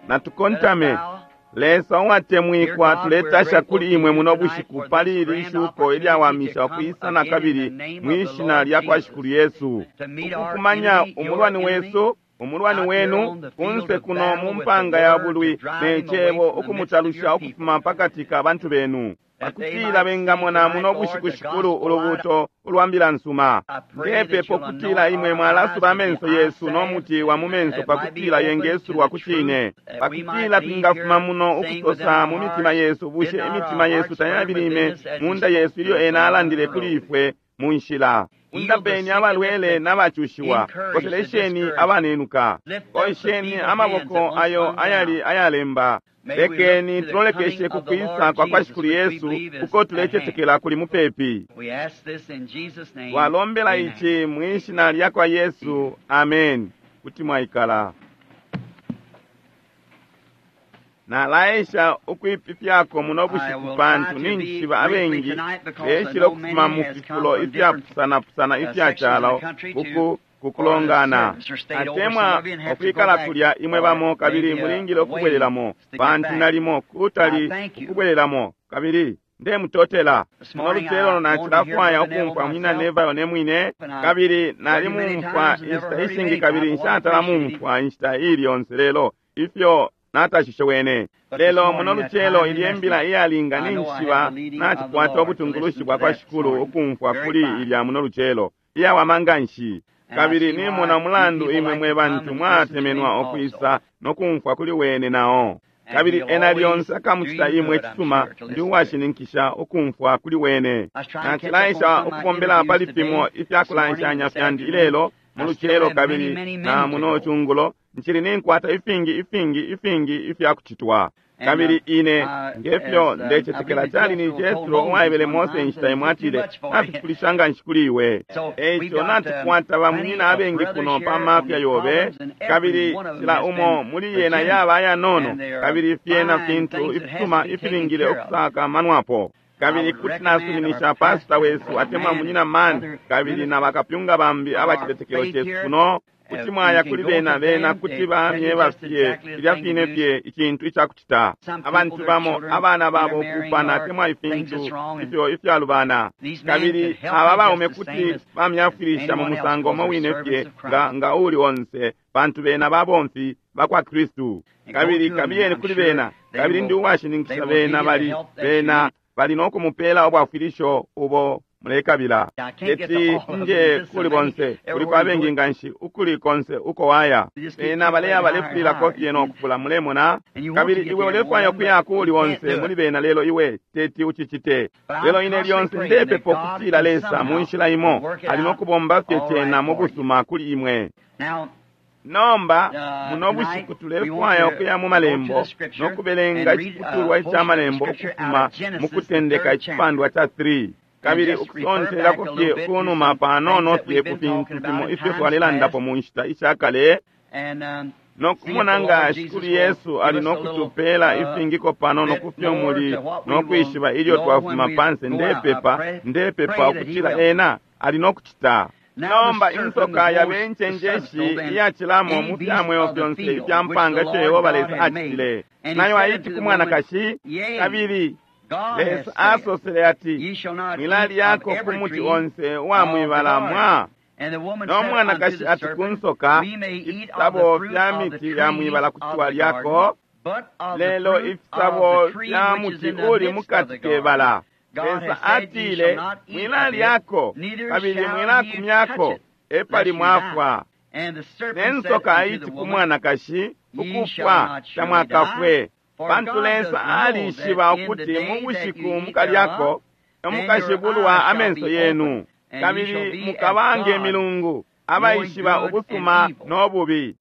Natukontame. Lesa uwatemwikwa, tuletasha kuli imwe muno bushiku pali ili shuko ilyawamisha ukwisa na kabili mwi shina lya kwa Shikulu Yesu, ukukumanya umulwani wesu, umulwani wenu, kunse kuno mu mpanga ya bulwi ne cebo, ukumutalusha ukufuma pakati ka bantu benu, pakutila bengamona muno bushiku, Shikulu, ulubuto ulwa mbila nsuma. Ndepepo kutila imwe mwalasuba amenso yesu no muti wa mu menso, pakutila yengesulwa ku cine, pakutila twingafuma muno ukusosa mu mitima yesu, bushe imitima yesu tayabilime munda yesu ilyo ena alandile kuli ifwe mu nshila? Undapeni abalwele n'abacushiwa, koselesheni abanenuka, kosheni amaboko ayo ayali ayalemba. Lekeni tulolekeshe ku kwisa kwa kwa Shikulu Yesu uko tulecetekela kuli mupepi. Twalombela ici mwi shina lya kwa Yesu, amen. Kuti mwaikala. Nalaesha ukwipifyako muno bushiku pantu ninjishiba abengi beshile ukufuma mu fifulo ifyapusanapusana ifya calo uku kukulongana, atemwa ukwikala kulya imwe bamo, kabili mulingile ukubwelelamo pantu nalimo kutali ukubwelelamo. Kabili ndemutotela. Muno lucelo nacilafwaya ukumfwa munyina Neville ne mwine, kabili nalimumfwa inshita ishingi kabili nshatala mumfwa inshita ili yonse, lelo ifyo natashishe wene. Lelo muno lucelo ilye mbila iyalinga, ninjishiba nacikwata ubutungulushi bwa kwa Shikulu ukumfwa kuli ilya muno lucelo iyawama nganshi. Kabili nimona umulandu imwe mwe bantu mwatemenwa ukwisa no kumfwa kuli wene nao. Kabili ena lyonse akamucita imwe cisuma, ndi uwashininkisha ukumfwa kuli wene. Nacilaisha ukubombela pali fimo ifyakulanshanya fyandi ilelo mu lucelo kabili na muno cungulo, ncili ninkwata ifingi ifingi ifingi ifyakucitwa. Kabili ine ngefyo ndecetekela cali ni Jethro uwaebele Mose inshita imwe, atile, nafifulisha nganshi kuli iwe. Eico natukwata bamunyina abengi kuno pa mafya yobe, kabili cila umo muli yena yaba ayanono, kabili fyena fintu ifisuma ifilingile ukusakamanwapo. Kabili kuti nasuminisha pasita wesu atemwa munyina mani kabili na bakapyunga bambi abacitetekelo cesu kuno, kuti mwaya kuli bena, bena kuti bamyeba fye filya fine fye icintu icakucita. Abantu bamo abana babo kupana atemwa ifintu ifyo ifyalubana, kabili aba baume kuti bamyafwilisha mu musango umo wine fye nga nga uli onse, pantu bena babomfi bakwa Kristu. Kabili kabiyeni kuli bena, kabili ndi uwashininkisha bena bali bena bali no kumupela ubwafwilisho ubo mulekabila. Teti nje kuli bonse, kuliko abengi nganshi ukuli konse uko waya. Bena baleya balefulilako fye no kufula, mulemona. Kabili iwe ulefwaya ukuya kuli onse muli bena, lelo iwe teti ucicite. Lelo ine lyonse ndepepa ukutila Lesa mu nshila imo ali no kubomba fye cena mu busuma kuli imwe. Nomba muno bushiku tulefwaya ukuya mu malembo no kubelenga iciputulwa ica malembo ukufuma mu Kutendeka icipandwa ca 3, kabili ukusontelako fye kunuma panono fye ku fintu fimo ifyo twalelandapo mu nshita ishakale, no kumona nga Shikulu Yesu ali no kutupela ifingiko panono kufyo muli no kwishiba ilyo twafuma panse. Ndepepa, ndepepa ukutila ena ali no kucita. Nomba insoka yabe incenjeshi iyacilamo mu fya mweo fyonse ifya mpanga ifyo Yehova Lesa acitile. Nayo aiti ku mwanakashi, kabili Lesa asosele ati, mwilalyako ku muti onse uwa mwibala mwa. No mwanakashi ati ku nsoka, ifisabo fya miti ya mwibala kuti twalyako, lelo ifisabo fya muti uli mukati ke bala, Lesa atile, mwilalyako, kabili mwilakumyako, epali mwafwa. Ne nsoka aiti ku mwanakashi, ukufwa tamwakafwe, pantu Lesa alishiba ukuti mu bushiku mukalyako, mukashibulwa amenso yenu, kabili mukaba nge milungu, abaishiba ubusuma no bubi.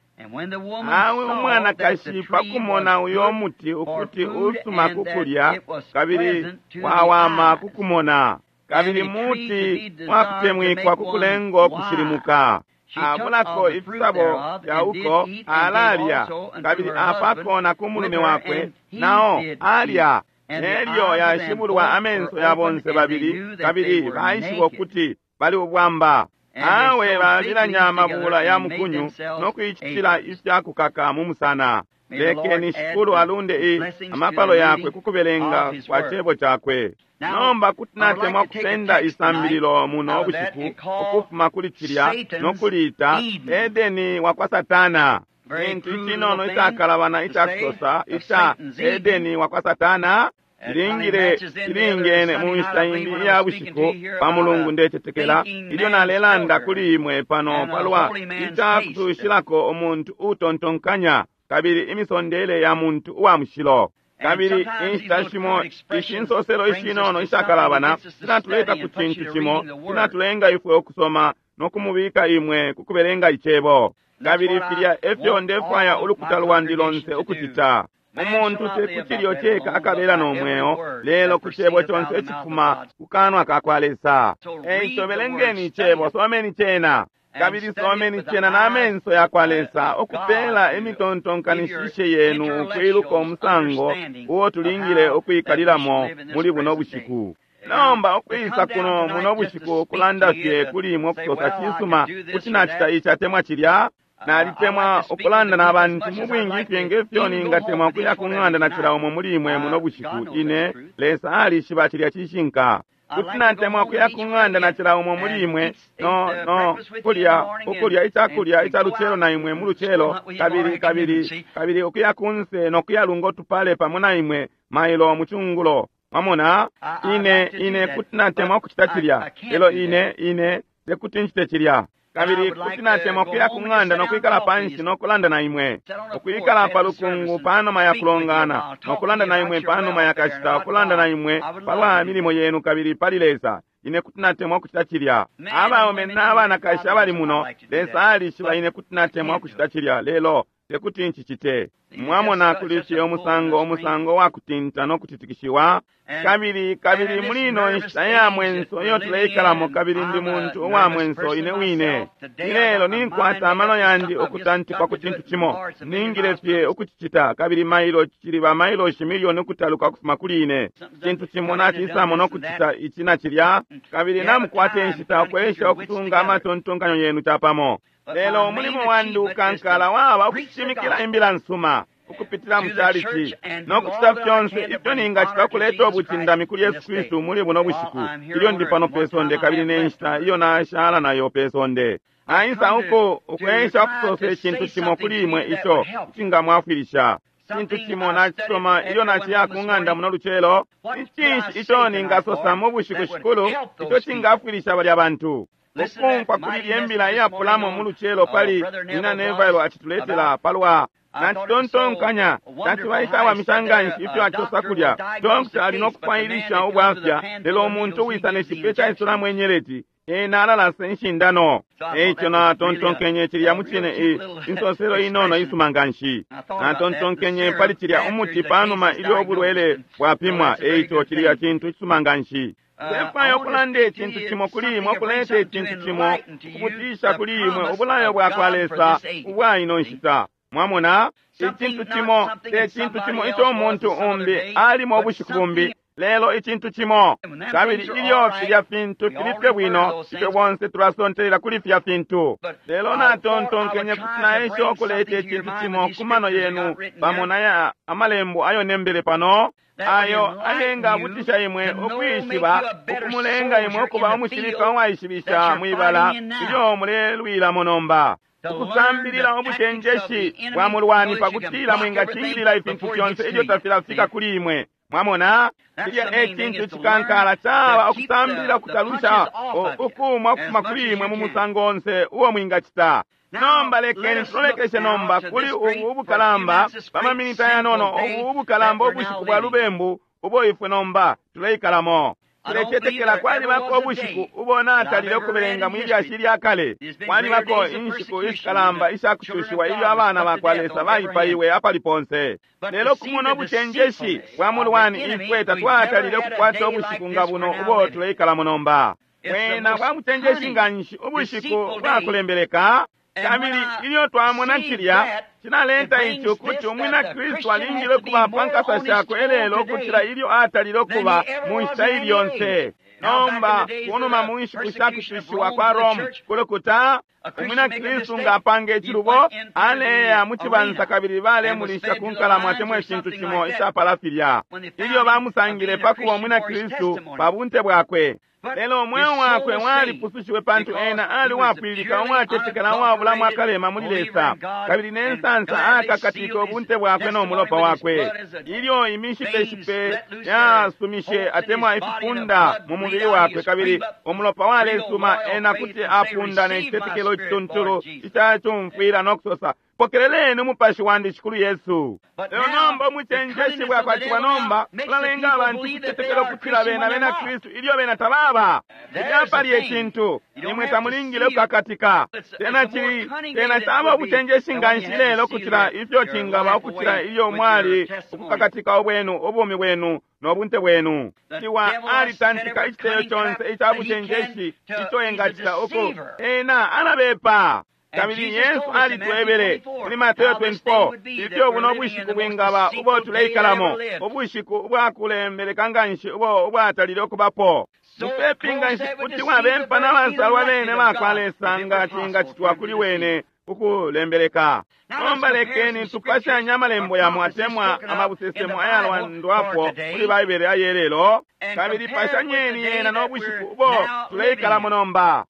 Awe umwanakashi pakumona uyo muti ukuti usuma kukulya, kabili wawama kukumona, kabili muti wakutemwikwa kukulengo kushilimuka, abulako ifisabo fya uko alalya, kabili apako na ku mulume wakwe, nao alya. Nelyo yashibulwa amenso ya bonse babili, kabili baishiba ukuti bali ubwamba. Awe babilanya amabula ya mukunyu no kuicitila ifya kukaka mu musana. Lekeni Shikulu alunde amapalo yakwe kukubelenga kwa cebo cakwe. Nomba kuti natemwa kusenda isambililo muno bushiku ukufuma kuli cilya no kuliita Edeni wa kwa Satana. Cintu icinono icakalabana icakusosa ica Edeni wa kwa Satana cilingile cilingene mu nshita imbi iya bushiku pa Mulungu, ndecetekela ilyo nalelanda kuli imwe pano palwa icakusushilako umuntu utontonkanya kabili imisondele ya muntu uwa mushilo. Kabili inshita shimo ishi nsoselo ishinono ishakalabana sinatuleta ku cintu cimo, sinatulenga ifwe ukusoma no kumubika imwe kukubelenga icebo. Kabili filya efyo ndefwaya ulukuta lwandi lonse ukucita. Umuntu te ku cilyo ceka akabela no mweo, lelo ku cebo conse icifuma ku kanwa ka kwa Lesa. Eico belengeni icebo, someni cena. Kabili someni cena na menso ya kwa Lesa, ukupela imitontonkanishishe yenu ukwiluka umusango uo tulingile ukwikalilamo muli buno bushiku. Nomba ukwisa kuno muno bushiku kulanda fye kuli imwe ukusosa cisuma kuti nacita ici atemwa cilya. Nalitemwa ukulanda na bantu mu bwingi fye ngefyo ningatemwa ukuya ku ng'anda na cila umo muli imwe muno bushiku. Ine Lesa alishiba cilya cishinka. Kuti natemwa ukuya ku ng'anda na cila umo muli imwe no kulya ukulya icakulya ica lucelo na imwe mu lucelo, kabili kabili kabili ukuya kunse no kuyalunga utupale pamo na imwe mailo mu cungulo. Mwamona, ine kuti natemwa ukucita cilya, lelo ine tekuti ncite cilya. Kabili kuti natemwa ukuya ku ng'anda no kwikala panshi no kulanda na imwe, ukwikala pa lukungu panuma ya kulongana no kulanda na imwe panuma ya kashita, ukulanda na imwe palwa milimo yenu kabili pali Lesa. Ine kuti natemwa ukucita cilya. Abaume n'abanakashi abali muno, Lesa alishiba ine kuti natemwa ukucita cilya, lelo tekuti ncicite. Mwamona, kuli fye umusango wa kutinta no kutitikishiwa. Kabili kabili muli ino nshita ya mwenso iyo tuleikalamo, kabili ndi muntu uwa mwenso ine wine. Ilelo ninkwata amano yandi ukutantikwa ku cintu cimo, ningile fye ukucicita, kabili mailo cili ba mailoshi milioni ukutaluka ukufuma kuli ine. Cintu cimo nacisamo no kucita ici na cilya, kabili namukwata inshita ukwesha ukusunga amatontonkanyo yenu capamo. Lelo umulimo wandi ukankala waba ukushimikila imbila nsuma ukupitila mu chalichi no kucita fyonse ifyo ningacita kuleta ubucindami kuli Yesu Kristu muli buno bushiku ilyo ndi pano pe sonde kabili ne nshita iyo nashala nayo pe sonde. Naisa uko ukwesha ukusosa icintu cimo kuli imwe ico icingamwafwilisha. Cintu cimo nacisoma ilyo naciya ku ng'anda muno lucelo. Icinshi ico ningasosa mu bushiku shikulu ico cingafwilisha balya bantu? Ukumfwa kuli lye mbila iyapulamo mu lucelo pali Nina Neville acituletela palwa nacitontonkanya naciba icawamisha nganshi ifyo acosa kulya. Dokta ali no kufwailisha ubwafya, lelo umuntu uwisa ne cipe caisulamo inyeleti ena alalasa inshindano. Eico natontonkenye cilya mucine insoselo inono isuma nganshi. Natontonkenye pali cilya umuti panuma ilyo ubulwele bwapimwa. Eico cilya cintu cisuma nganshi. Ndefwaya ukulanda icintu cimo kuli imwe, ukuleta icintu cimo ukubutisha kuli imwe ubulayo bwa kwa Lesa ubwa ino nshita. Mwamona, icintu cimo te cintu cimo ico umuntu umbi alimo ubushiku bumbi, lelo icintu cimo. Kabili ilyo filya fintu fili fye bwino, ifwe bonse tulasontelela kuli filya fintu. Lelo natontonkenye kuti naesha ukuleta icintu cimo ku mano yenu pamo na amalembo ayo nembele pano, ayo ayengabutisha imwe ukwishiba, ukumulenga imwe ukuba umushilika uwaishibisha mwibala ilyo mulelwilamo nomba. Ukusambilila ubucenjeshi bwa mulwani pakutila mwingacingilila ifintu fyonse ilyo tafilafika kuli imwe. Mwamona, cilya e cintu cikankala caba ukusambilila ukutalusha ukumwa ukufuma kuli imwe mu musango onse uo mwingacita. Nomba lekeni tulolekeshe nomba kuli ubu ubukalamba pamaminita yanono, ubu ubukalamba ubushiku bwa lubembu ubo ifwe nomba tuleikalamo. Tulecetekela kwalibako ubushiku ubo natalile ukubelenga mwi lyashi lya kale. Kwalibako inshiku ishikalamba ishakushushiwa ilyo abana ba kwa Lesa baipaiwe apali ponse. Lelo kumona ubucenjeshi bwa mulwani ifwe tatwatalile ukukwata ubushiku nga buno ubo tuleikalamo nomba. Bwena bwa mucenjeshi nganshi ubushiku bwakulembeleka. Kabili ilyo twamona cilya cinaleta ici ukuti umwina Kristu alingile kuba pa nkasa shakwe elelo ukucila ilyo atalile ukuba mu nshita ili yonse. Nomba kunuma mu nshiku sha kucushiwa kwa Rome kulukuta, umwina Kristu nga apanga icilubo aleya mu cibansa kabili balemulisha ku nkalamo atemwa icintu cimo icapala filya, ilyo bamusangile pa kuba umwina Kristu pa bunte bwakwe. Lelo umweo wakwe walipusushiwe pantu ena ali uwapwililika, uwatetekela, uwabulamo akalema muli Lesa, kabili ne nsansa akakatike ubunte bwakwe no mulopa wakwe. Ilyo imishipeshipe yasumishe atemwa ifipunda mu mubili wakwe kabili umulopa walesuma, ena kuti apunda ne citetekelo icituntulu icacumfwila no kusosa, pokeleleni umupashi wandi Shikulu Yesu. Lelo nomba umucenjeshi bwakwatiwa nomba ulalenga abantu kutetekela ukutila bena bena Kristu ilyo bena tababa. Cilya pali ecintu, imwe tamulingile ukukakatika. Tena cili, tena caba ubucenjeshi nganshi lelo ukucila ifyo cingaba ukucila ilyo mwali ukukakatika ubwenu, ubumi bwenu no bunte bwenu. Ciwa alitantika iciteyo conse ica bucenjeshi ico engacita uku ena alabepa. Kabili Yesu alitwebele muli Mateo 24 ifyo buno bushiku bwingaba ubo tuleikalamo, ubushiku ubwakulembeleka nganshi ubo ubwatalile ukubapo. Mupepi nganshi kuti wabempa na basalwa bene bakwa Lesa nga cingacitwa kuli wene ukulembeleka. Nomba lekeni tupashanye amalembo yamo atemwa amabusesemo ayalwandwapo muli Baibele ayelelo, kabili pashanyeni yena no bushiku ubo tuleikalamo nomba.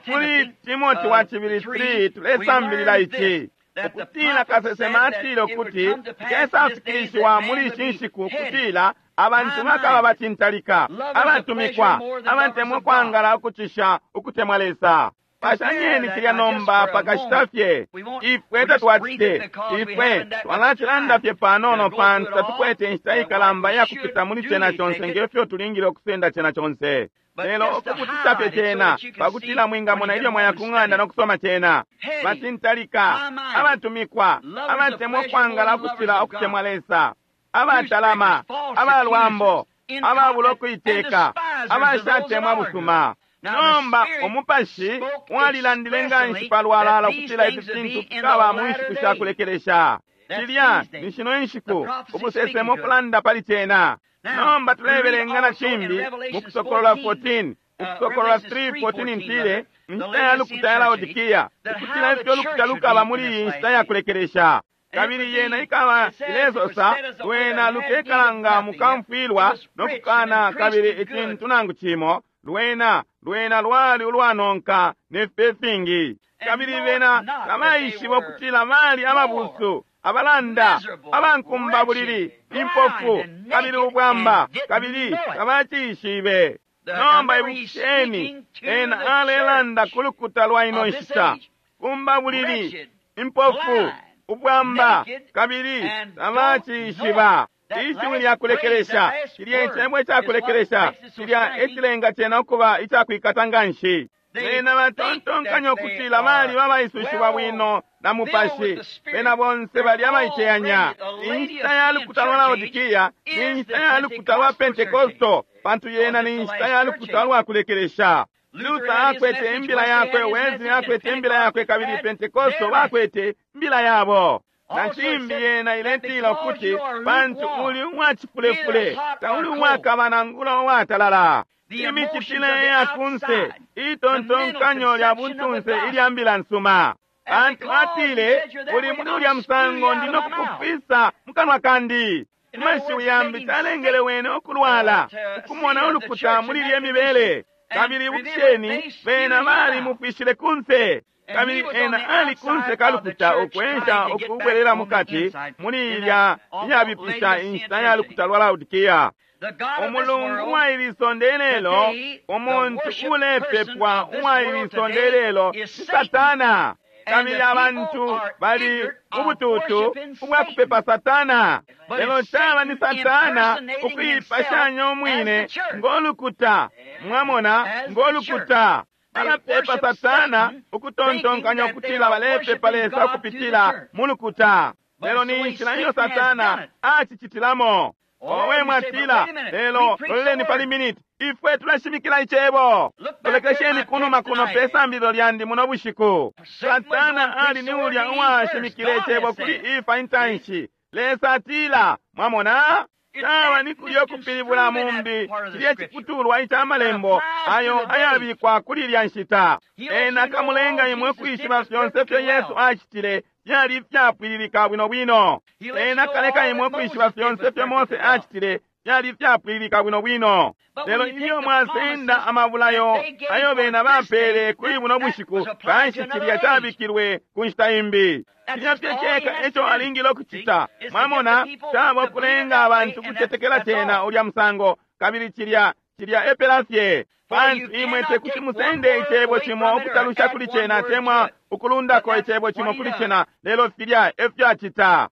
Muli Timoti wa cibili 3 tulesambilila ici, ukutila kasesema atile ukuti kesafikilishiwa muli ishi nshiku ukutila abantu bakaba bacintalika, abatumikwa, abatemwa kwangala ukucisha ukutemwa Lesa. Pashanyeni cilya nomba pakashita fye. Ifwe tatwacite, ifwe twalacilanda fye panono pantu tatukwete inshita ikalamba iyakupita muli cena conse ngefyo tulingile ukusenda cena conse. Lelo ukukutisha fye cena pakutila mwingamona ilyo mwaya ku ng'anda no kusoma cena. Bacintalika, abatumikwa, abatemwa kwangala ukucila ukutemwa Lesa, abatalama, abalwambo, ababula ukuiteka, abashatemwa busuma. Nomba umupashi walilandile nganshi palwalala ukutila ifi fintu fikaba mu nshiku sha kulekelesha. Cilya ni shino inshiku ubusesemo kulanda pali cena. Nomba tulebelenga na cimbi mu Kusokolola 14, Ukusokolola 3:14 ntile inshita ya lukuta ya Laodikia, ukutila ifyo lukuta lukaba muli iyi nshita ya kulekelesha. Kabili yena ikaba ilesosa lwena lukekala nga mukamfwilwa no kukana kabili icintu nangu cimo, lwena lwena lwali ulwanonka ne fipe fingi. Kabili bena tabaishiba ukutila bali ababusu, abalanda, abankumba bulili, impofu, kabili ubwamba, kabili tabacishibe. Nomba ibukisheni, ena alelanda ku lukuta lwa ino nshita, kumba bulili, impofu, ubwamba, kabili tabacishiba. Ishiwi lya kulekelesha, cilya icebo icakulekelesha, cilya ecilenga cena ukuba icakwikata nganshi. Bena batontonkanya ukutila bali babaisushiwa bwino na mupashi, bena bonse bali abaiteyanya. Inshita ya lukuta lwa Laodikia ni inshita ya lukuta lwa Pentekosto, pantu yena ni inshita ya lukuta lwa kulekelesha. Luther akwete imbila yakwe, Wesley akwete imbila yakwe, kabili Pentekosto bakwete imbila yabo. Na cimbi yena iletila ukuti pantu uli uwacifulefule, tauli uwakaba nangula uwatalala. Imicitile ya kunse, itontonkanyo lya buntunse ilya mbila nsuma. Pantu atile, uli muli ulya musango ndi no kukufisa mu kanwa kandi. Amashiwi yambi talengele wene ukulwala, ukumona ulukuta muli ilye mibele. Kabili ibukisheni, bena balimufishile kunse. Kabili ena ali kunse kalukuta ukwensha ukubwelela mukati muli ilya iyabipisha inshita ya lukuta lwa Laodikia. Umulungu uwa ili sonde lelo, umuntu ulepepwa uwa ili sonde lelo ni Satana. Kabili abantu bali ubututu ubwakupepa Satana. Lelo caba ni Satana ukuipashanya umwine ngolukuta, mwamona, ngolukuta. Balapepa Satana ukutontonkanya ukutila balepepa Lesa ukupitila mulukuta. Lelo ni inshila iyo Satana acicitilamo. Owe mwatila, lelo loleleni pali minute, ifwe tulashimikila icebo. Lolekesheni kunuma kuno pe sambililo lyandi muno bushiku. Satana ali ni ulya uwashimikile icebo kuli Efa intanshi. Lesa atila, mwamona? Caba ni kulyo kupilibula mumbi cilye ciputulwa ica malembo ayo ayabikwa kuli ilya nshita. Ena akamulenga imwe kwishiba fyonse fyo Yesu acitile fyali ifyapwililika bwino bwino. Ena akaleka imwe kwishiba fyonse fyo Mose acitile fyali ifyapwililika bwino bwino. Lelo ilyo mwasenda amabulayo ayo bena bapele kuli buno bushiku, kanshi cilya cabikilwe ku nshita imbi. Cilya fye ceka eco alingile ukucita. Mwamona, caba ukulenga abantu kucetekela cena ulya musango, kabili cilya cilya epela fye. Pantu imwe tekuti musende icebo cimo ukutalusha kuli cena atemwa ukulundako icebo cimo kuli cena, lelo filya efyo acita.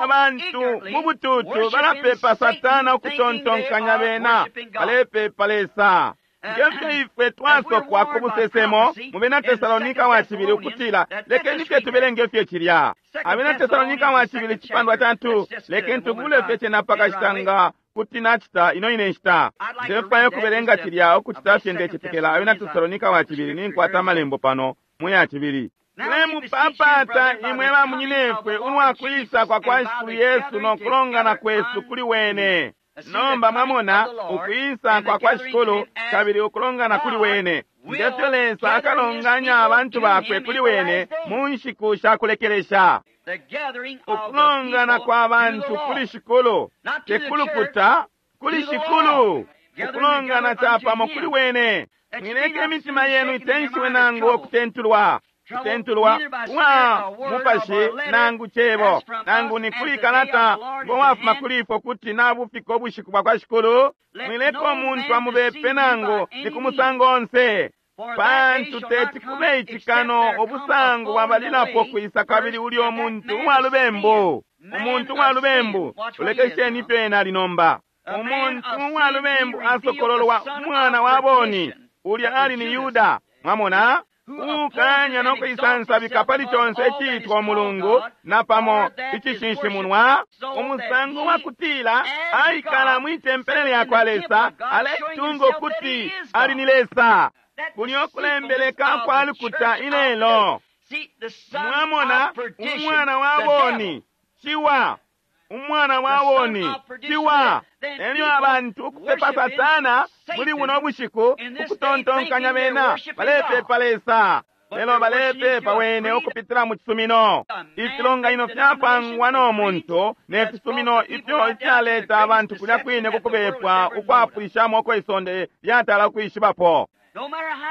Abantu mu bututu balapepa Satana ukutontonkanya bena balepepa Lesa. Ngefyo ifwe twasokwa ku busesemo mu Bena Tesalonika wa cibili ukutila, lekeni fye tubelenge fye cilya. Abena Tesalonika wa cibili cipandwa ca 2, lekeni tubule fye cena pakashita nga kuti nacita ino ine nshita. Ndefwaya ukubelenga cilya ukucita fye ndecetekela. Abena Tesalonika wa cibili, ninkwata amalembo pano mu ya cibili. Tulemupapata imwe bamunyinefwe ulwa kwisa kwa kwa Shikulu Yesu no kulongana kwesu kuli wene. Nomba mwamona ukwisa kwa kwa Shikulu kabili ukulongana kuli wene. Ngefyo Lesa akalonganya abantu bakwe kuli wene mu nshiku sha kulekelesha. Ukulongana kwa bantu kuli Shikulu, te kulukuta, kuli Shikulu. Ukulongana capamo kuli wene. Mwileke imitima yenu itenshiwe nangu ukutentulwa. Kutentulwa kwa mupashi nangu cebo nangu ni kuli kalata ngo wafuma kuli ifwe kuti nabufika ubushiku bwa kwa Shikulu. Mwileka umuntu amubepe nangu ni ku musango onse, pantu teti kube icikano ubusangu bwabalilapo kwisa kabili ulyo muntu uwa lubembu. Umuntu uwa lubembu, ulekesheni ifyo ena ali nomba. Umuntu uwa lubembu asokololwa umwana wa boni, ulya ali ni Yuda. Mwamona? Ukanya no kuisansabika pali conse iciitwa umulungu napamo icishinshimunwa, umusango wa kutila aikala mwi tempele lya kwa Lesa aletunga ukuti ali ni Lesa. Kulyo kulembeleka kwa lukuta ilelo. Mwamona, umwana wa boni ciwa, umwana wa boni ciwa. Elyo abantu ukupepa Satana muli buno bushiku ukutontonkanya bena balepepa Lesa, lelo balepepa wene ukupitila mu cisumino. Ifilonganino fyapangwa no muntu ne fisumino ifyo ifyaleta abantu kulya kwine kukubepwa ukwapwishamo uko isonde lyatala ukwishibapo.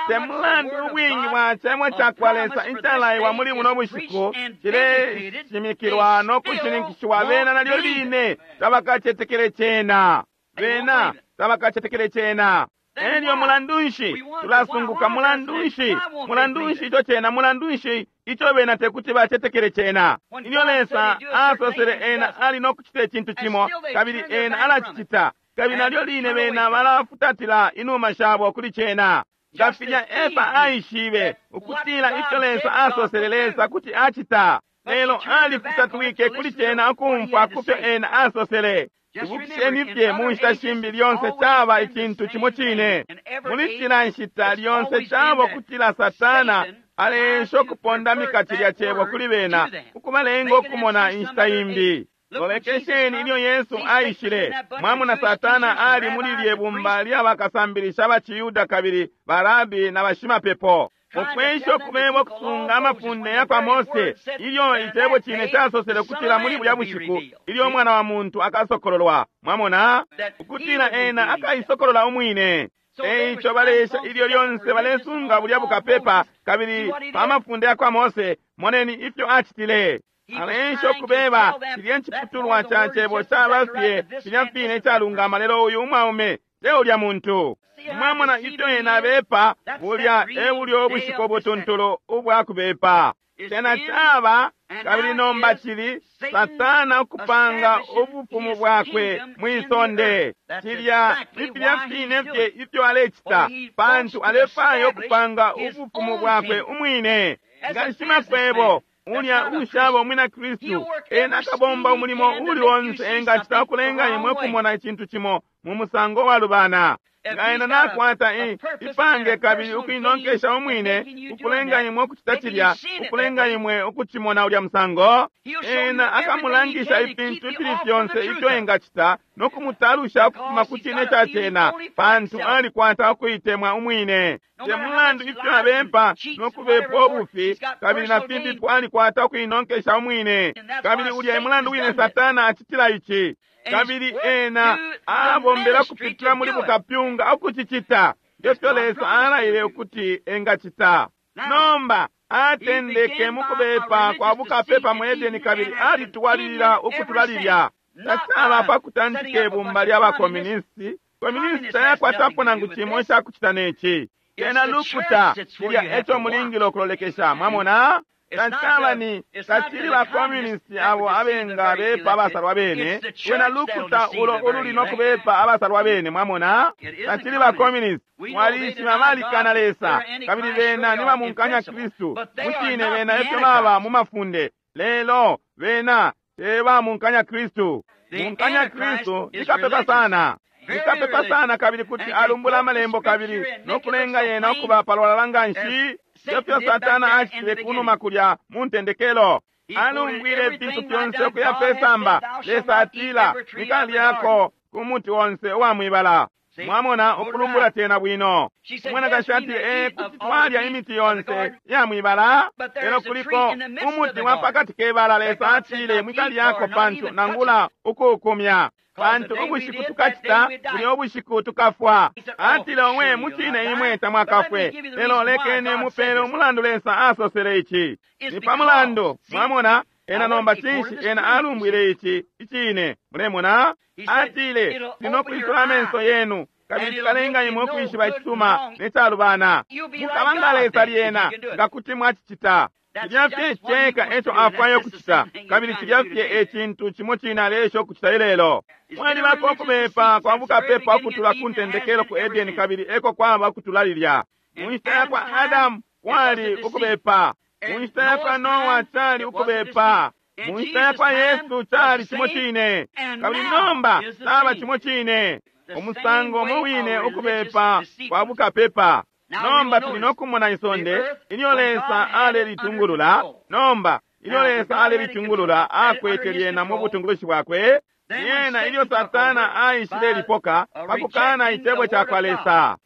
Te mulandu ubwingi bwa cebo ca kwa Lesa icalaiwa muli buno bushiku cileshimikilwa no kushininkishiwa, bena nalyo line tabakacetekele cena. Bena tabakacetekele cena. Elyo mulandu nshi tulasunguka? Mulandu nshi? Mulandu nshi ico cena? Mulandu nshi ico bena tekuti bacetekele cena? Ilyo Lesa asosele ena ali no kucita icintu cimo, kabili ena alacicita, kabili nalyo line bena balafutatila inuma shabo kuli cena. Nga filya Efa aishibe ukutila ifyo Lesa asosele Lesa kuti acita, lelo alifutatwike kuli cena ukumfwa kufyo ena asosele. Ibukisheni fye mu nshita shimbi lyonse caba icintu cimo cine. Muli cila nshita lyonse caba ukutila Satana aleesha ukupondamika cilya cebo kuli bena, ukubalenga ukumona inshita imbi. Lolekesheni ilyo Yesu aishile, mwamona Satana ali muli lye bumba lya bakasambilisha ba Ciyuda kabili barabi na bashimapepo, ukwesha ukubeba ukusunga amafunde ya kwa Mose, ilyo icebo cine casosele ukutila muli bulya bushiku ilyo umwana wa muntu akasokololwa. Mwamona ukutila ena akaisokolola umwine. Eico baleesha ilyo lyonse balesunga bulya bukapepa kabili pa mafunde ya kwa Mose. Moneni ifyo acitile. Aleesha ukubeba cilya nciputulwa ca cebo caba fye filya fine icalungama, lelo uyu umwaume te ulya muntu. Mwamona ifyo ena abepa? Bulya e bulyo ubushiku ubutuntulu ubwa kubepa. Cena caba kabili nomba cili Satana ukupanga ubufumu bwakwe mwi sonde. Cilya ifilya fine fye ifyo alecita, pantu alefwaya ukupanga ubufumu bwakwe umwine. Nga shimakwebo ulya ushaba umwina Kristu, ena akabomba umulimo uli onse engacita ukulenga imwe kumona icintu cimo mu musango walubana. Nga ena nakwata ipange kabili ukuinonkesha umwine, ukulenga imwe ukucita cilya, ukulenga imwe ukucimona ulya musango, ena akamulangisha ifintu ifili fyonse ifyo engacita no kumutalusha ukufuma ku cine ca cena, pantu alikwata ukuitemwa umwine. Te mulandu ifyo abepa no kubepa ubufi kabili na fimbipo, alikwata ukuinonkesha umwine. Kabili ulya mulandu wine Satana acitila ici. Kabili ena abombela kupitila muli bukapyunga ukucicita ngefyo Lesa alaile ukuti engacita. Nomba atendeke mukubepa kwa bukapepa mu Edeni kabili alitwalilila ukutula lilya. Tacaba pa kutantika ibumba lya bakomunisti. Komunisti tayakwatapo nangu cimo icakucita neci. Cena lukuta, cilya eco mulingile ukulolekesha. Mwamona? Tacaba ni tacili ba communist abo abenga bepa abasalwa bene, wena lukuta ulo ululi no kubepa abasalwa bene. Mwamona? Tacili ba communist. Mwalishiba balikana Lesa, kabili bena ni bamunkanya Kristu. Mucine bena efyo baba mu mafunde, lelo bena te bamunkanya Kristu. Munkanya Kristu nikapepa sana. Nikapepa sana kabili kuti alumbula amalembo kabili no kulenga yena ukuba palwalala nganshi. Efyo Satana acitile kunuma kulya mu ntendekelo. Alumbwile ifintu fyonse ukuya pesamba. Lesa atila, mwikalyako ku muti onse uwa mwibala. Mwamona, ukulumbula tena bwino. Umwanakashi atile, kuti twalya imiti yonse iya mwibala, lelo kuliko umuti wa pakati kebala. Lesa atile, mwikalyako pantu nangula ukuukumya, pantu ubushiku tukacita bulya ubushiku tukafwa. Atile, omwe mucine imwe tamwakafwe, lelo lekeni mupele umulandu Lesa asosele ici. Ni pa mulandu. Mwamona? Ena nomba cinshi ena alumbwile ici icine? Mulemona? Atile, ndinokwisula amenso yenu kabili cikalenga imwe ukwishiba icisuma ne calubana. Mukaba nga Lesa lyena nga kuti mwacicita. Cilya fye ceka eco afwaya ukucita, kabili cilya fye ecintu cimo cine aleesha ukucita ilelo. Mwalibako ukubepa kwa bukapepa ukutula ku ntendekelo ku Edeni, kabili eko kwaba ukutula lilya. Mu nshita ya kwa Adamu kwali ukubepa, mu nshita ya kwa Noa cali ukubepa, mu nshita ya kwa Yesu cali cimo cine, kabili nomba caba cimo cine. Umusango umo wine ukubepa kwa bukapepa. Nomba tuli nokumona isonde ilyo Lesa alelitungulula. Nomba ilyo Lesa alelitungulula, akwete lyena mu butungulushi bwakwe. Lyena ilyo Satana aishile lipoka pakukana icebo ca kwa Lesa,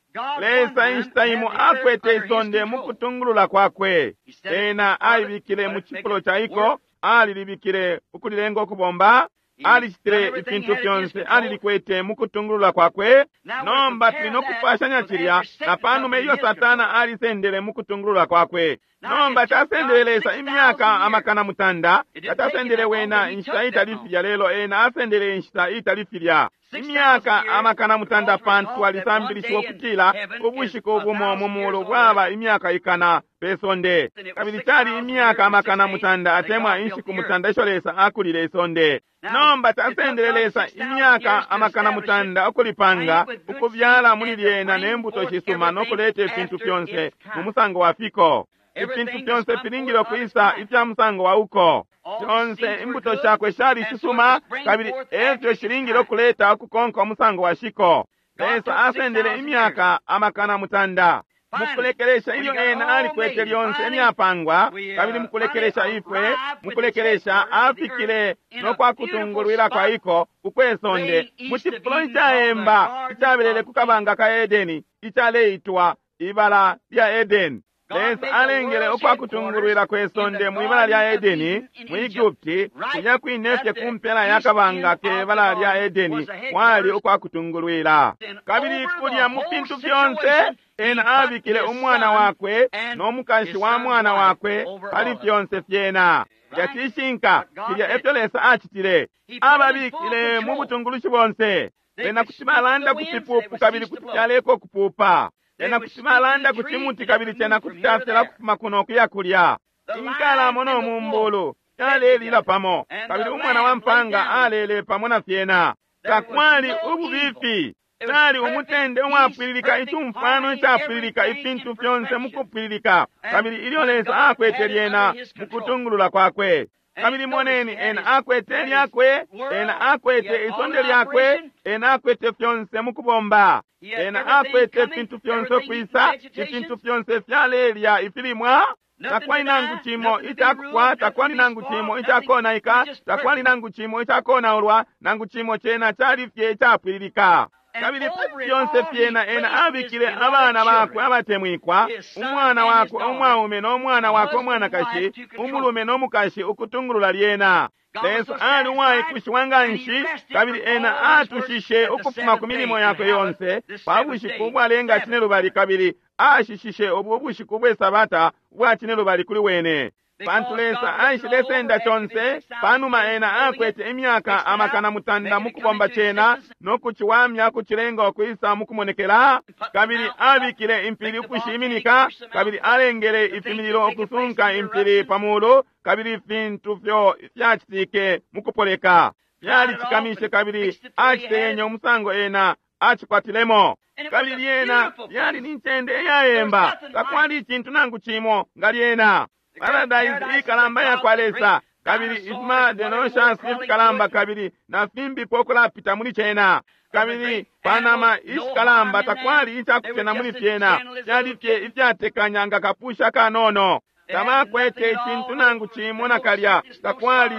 Lesa inshita imo akwete isonde mu kutungulula kwakwe. Ena aibikile mu cifulo ca iko, alilibikile ukulilenga ukubomba, alicitile ifintu fyonse, alilikwete mu kutungulula kwakwe. Nomba tuli nokupashanya cilya na panuma ilyo Satana alisendele mu kutungulula kwakwe. Nomba casendele Lesa imyaka 500, tatasendele wena inshita itali filya, lelo ena asendele inshita itali filya, imyaka 500, pantu twalisambilishiwa ukutila ubushiku bumo mu mulu bwaba imyaka 100 pe sonde. Kabili cali imyaka 900 atemwa inshiku 900 isho Lesa akulile isonde. Nomba tasendele Lesa imyaka 900 ukulipanga, ukubyala muli lyena ne mbuto shisuma no kuleta ifintu fyonse mu musango wa fiko. Ifintu fyonse filingile ukwisa ifya musango wa uko. Fyonse imbuto shakwe shali shisuma, kabili efyo shilingile ukuleta ukukonka umusango wa shiko. Lesa asendele imyaka 900. Mukulekelesha ilyo ena alikwete lyonse imyapangwa, kabili mukulekelesha ifwe, mukulekelesha afikile no kwa kutungulwila kwa iko ukwe sonde mu cifulo icaemba icabelele ku kabanga ka Edeni, icaleitwa ibala lya Edeni. Lesa alengele ukwa kutungulwila kwe sonde mu ibala lya Edeni mu Egupti, kulya kwine fye ku mpela ya kabanga ke bala lya Edeni kwali ukwa kutungulwila. Kabili kulya mu fintu fyonse ena abikile umwana wakwe no mukashi wa mwana wakwe pali fyonse fyena. Cilya cishinka, cilya efyo Lesa acitile. Ababikile mu butungulushi bonse. Bena kuti balanda ku fipupu kabili kuti fyaleka ukupupa. Bena kuti balanda ku cimuti kabili cena kuti cafyala kufuma kuno kuya kulya. Inkalamo no mumbulu yalelila pamo, kabili umwana wa mpanga alele pamo na fyena. Takwali ububifi. Cali umutende uwapwililika, icumfwano icapwililika, ifintu fyonse mukupwililika, kabili ilyo Lesa akwete lyena mukutungulula kwakwe. Kabili moneni, ena akwete lyakwe, ena akwete isonde lyakwe, ena akwete fyonse mukubomba, ena akwete ifintu fyonse ukwisa, ifintu fyonse fyalelya ifilimwa. Takwali nangu cimo icakufwa, takwali nangu cimo icakonaika, takwali nangu cimo icakonaulwa, nangu cimo. Cena cali fye icapwililika. Kabili pali fyonse fyena ena abikile abana bakwe abatemwikwa, umwana wakwe umwaume no mwana wakwe umwanakashi, umulume no mukashi, ukutungulula lyena. Lesa ali uwaikushiwa nganshi, kabili ena atushishe ukufuma ku milimo yakwe yonse pa bushiku ubwalenga 5, kabili ashishishe ubu bushiku bwe sabata ubwa 5 kuli wene. Pantu Lesa aishilesenda conse panuma ena akwete imyaka 900 mukubomba cena no kuciwamya, kucilenga ukwisa mukumonekela. Kabili abikile impili ukushiminika, kabili alengele ifimililo ukusunka impili pamulu, kabili ifintu fyo fyacitike mukupoleka fyalicikamishe, kabili aciteyenye umusango ena acikwatilemo. Kabili lyena lyali ni ncende iyayemba, takwali icintu nangu cimo nga lyena. Paradise ikalamba yakwa Lesa, kabili ifima dinosaurs ifikalamba kabili na fimbipo kulapita muli cena. Kabili panama ishikalamba takwali icakucena muli fyena, fyali fye ifyatekanya nga kapusha kanono. Tabakwete icintu nangu cimo nakalya,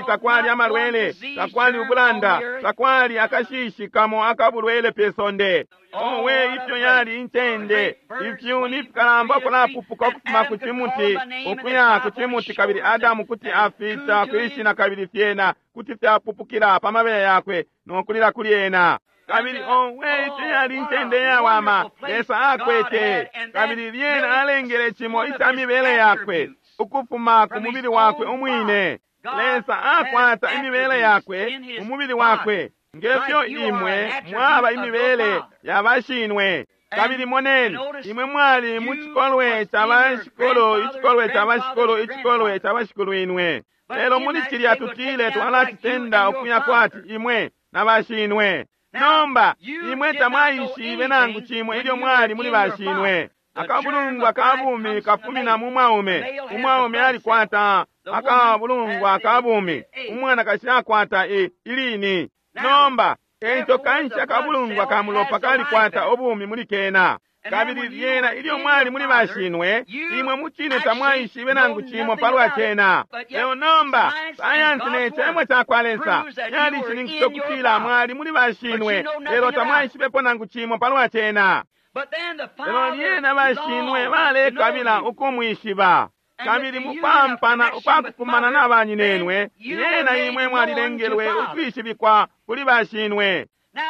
takwali amalwele, takwali ubulanda, takwali akashishi kamo akabulwele pe sonde. Owe, ifyo yali incende! Ifyuni fikalamba kulapupuka ukufuma ku cimuti ukuya ku cimuti, kabili Adamu kuti afita kwishina, kabili fyena kuti fyapupukila pa mabeya yakwe no kulila kuli ena. Kabili owe, ifyo yali incende yawama Lesa akwete! Kabili lyena alengele cimo ica mibele yakwe ukufuma ku mubili wakwe umwine. Lesa akwata imibele yakwe mu mubili wakwe, ngefyo imwe mwaba imibele ya bashinwe. Kabili moneni, imwe mwali mu cikolwe ca bashikulu, icikolwe ca bashikulu, icikolwe ca bashikulu inwe. Lelo muli cilya tutile twalacitenda ukuya kwati imwe na bashinwe. Nomba imwe tamwaishibe nangu cimo ilyo mwali muli bashinwe. Akabulungwa ka bumi kafumina mu mwaume. Umwaume alikwata akabulungwa ka bumi, umwanakashi akwata ilini. Nomba eico kanshi akabulungwa ka mulopa kalikwata ubumi muli kena. Kabili lyena ilyo mwali muli bashinwe, imwe mucine tamwaishibe nangu cimo palwa cena. Lelo nomba sayansi ne cemo cakwa Lesa yalishininkisha ukutila mwali muli bashinwe, lelo tamwaishibepo nangu cimo palwa cena. Lelo lyena bashinwe balekabila ukumwishiba. Kabili mupampana ukwakukumana na banyinenwe, lyena imwe mwalilengelwe ukwishibikwa kuli bashinwe.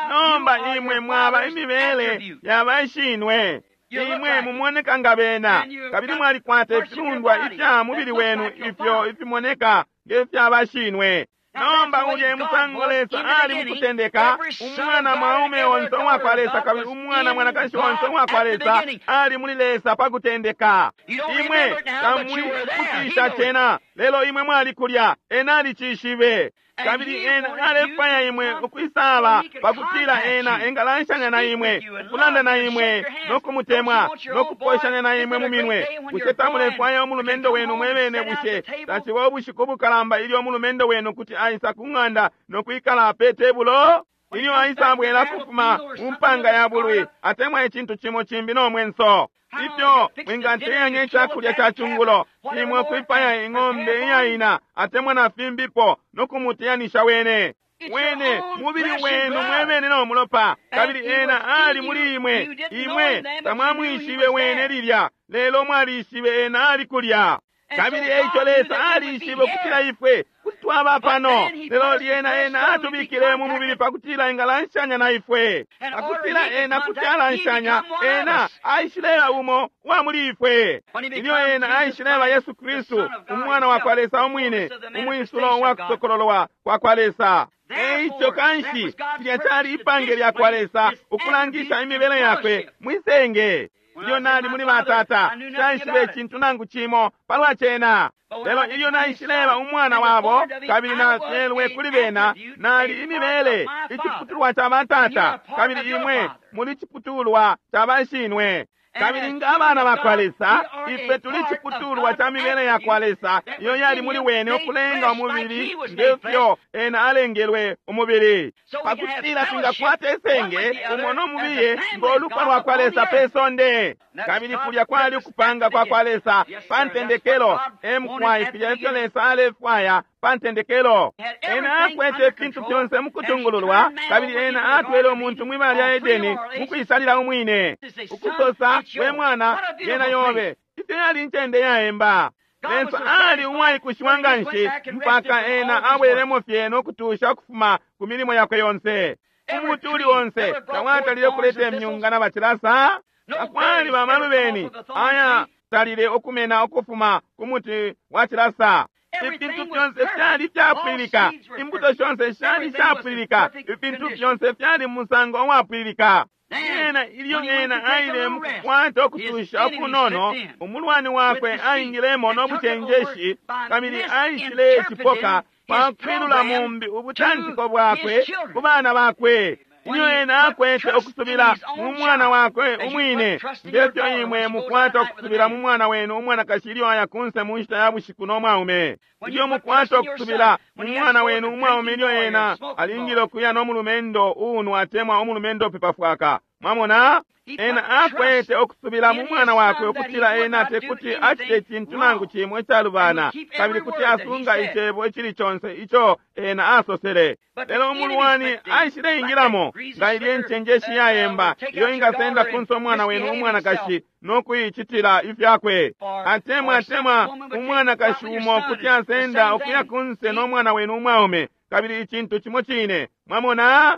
Nomba imwe mwaba imibele ya bashinwe. Imwe mumoneka nga bena, kabili mwalikwata ifilundwa ifya mubili wenu ifyo ifimoneka ngefya bashinwe. Nomba ulye musango Lesa ali mukutendeka, umwana mwaume onse uwakwa Lesa kabili umwana mwanakashi onse uwakwa Lesa ali muli Lesa pa kutendeka. Imwe tamwikutisha cena, lelo imwe mwali kulya, ena alicishibe. Kabili ena alefwaya imwe ukwisaba pakutila ena engalanshanya na imwe, ukulanda na imwe, no kumutemwa, no kuposhanya na imwe mu minwe. Bushe tamulefwaya umulumendo wenu mwebene? Bushe taciba ubushiku bukalamba ilyo umulumendo wenu kuti aisa ku ng'anda no kwikala pe tebulo? Ilyo aisabwela kufuma mu mpanga ya bulwi, atemwa icintu cimo cimbi no mwenso. Ifyo mwingateyanya icakulya ca cungulo, imwe kwipaya ing'ombe iyaina atemwa na fimbipo no kumuteyanisha wene. Wene mubili wenu mwebene no mulopa, kabili ena ali muli imwe. Imwe tamwamwishibe wene lilya, lelo mwalishibe ena ali kulya. Kabili eico Lesa alishibe ukutila ifwe kuti twaba pano, lelo lyena ena atubikile mu mubili pakutila engalanshanya na ifwe. Pakutila ena kuti alanshanya, ena aishileba umo wa muli ifwe. Ilyo ena aishileba Yesu Kristu, umwana wa kwa Lesa umwine, umwisulo wa kusokololwa kwa kwa Lesa. Eico kanshi cilya cali ipange lya kwa Lesa ukulangisha imibele yakwe mwisenge. Ilyo nali muli batata, taishibe icintu nangu cimo palwa cena. Lelo ilyo naishileba umwana wabo, kabili nafyelwe kuli bena, nali imibele iciputulwa ca batata, kabili imwe muli ciputulwa ca bashinwe. Kabili nga abana bakwa Lesa, ifwe tuli ciputulwa ca mibele yakwa Lesa iyo yali muli wene ukulenga umubili ngefyo ena alengelwe umubili, pakutila twingakwata isenge umo no mubiye ngo lupwa lwakwa Lesa pe sonde. Kabili kulya kwali ukupanga kwakwa Lesa pa ntendekelo, emkwai filya ifyo Lesa alefwaya pa ntendekelo. Ena akwete ifintu fyonse mukutungululwa, kabili ena atwele umuntu mwibala lya Edeni mukwisalila umwine, ukusosa, we mwana, yena yobe. Ifyo yali incende yaemba. Lesa ali uwaikushiwa nganshi mpaka ena abwelemo fye no kutusha ukufuma ku milimo yakwe yonse. Umuti uli onse tawatalile ukuleta imyunga na bacilasa. Takwali bamalubeni aya talile ukumena ukufuma ku muti wa cilasa. Ifintu fyonse fyali fyapwililika, imbuto shonse shali shapwililika, ifintu fyonse fyali musango uwapwililika. Ena ilyo ena aile mukukwata ukutusha ukunono, umulwani wakwe aingilemo no bucenjeshi, kabili aishile cipoka pa kwilula mumbi ubutantiko bwakwe ku bana bakwe. Ilyo ena akwete ukusubila mu mwana wakwe umwine, ngefyo imwe mukwata ukusubila mu mwana wenu umwanakashi ilyo aya kunse mu nshita ya bushiku no mwaume. Ilyo mukwata ukusubila mu mwana wenu umwaume ilyo ena alingile ukuya no mulumendo uunwa atemwa umulumendo upepa fwaka. Mwamona? Ena akwete ukusubila mu mwana wakwe ukutila ena tekuti acite icintu nangu cimwe icalubana, kabili kuti asunga icebo icili conse ico ena asosele. Lelo umulwani aishileingilamo nga ilye ncenjeshi yayemba iyo ingasenda kunse umwana wenu umwanakashi no kuicitila ifyakwe. Atemwa atemwa umwanakashi umo kuti asenda ukuya kunse no mwana wenu umwaume, kabili icintu cimo cine. Mwamona?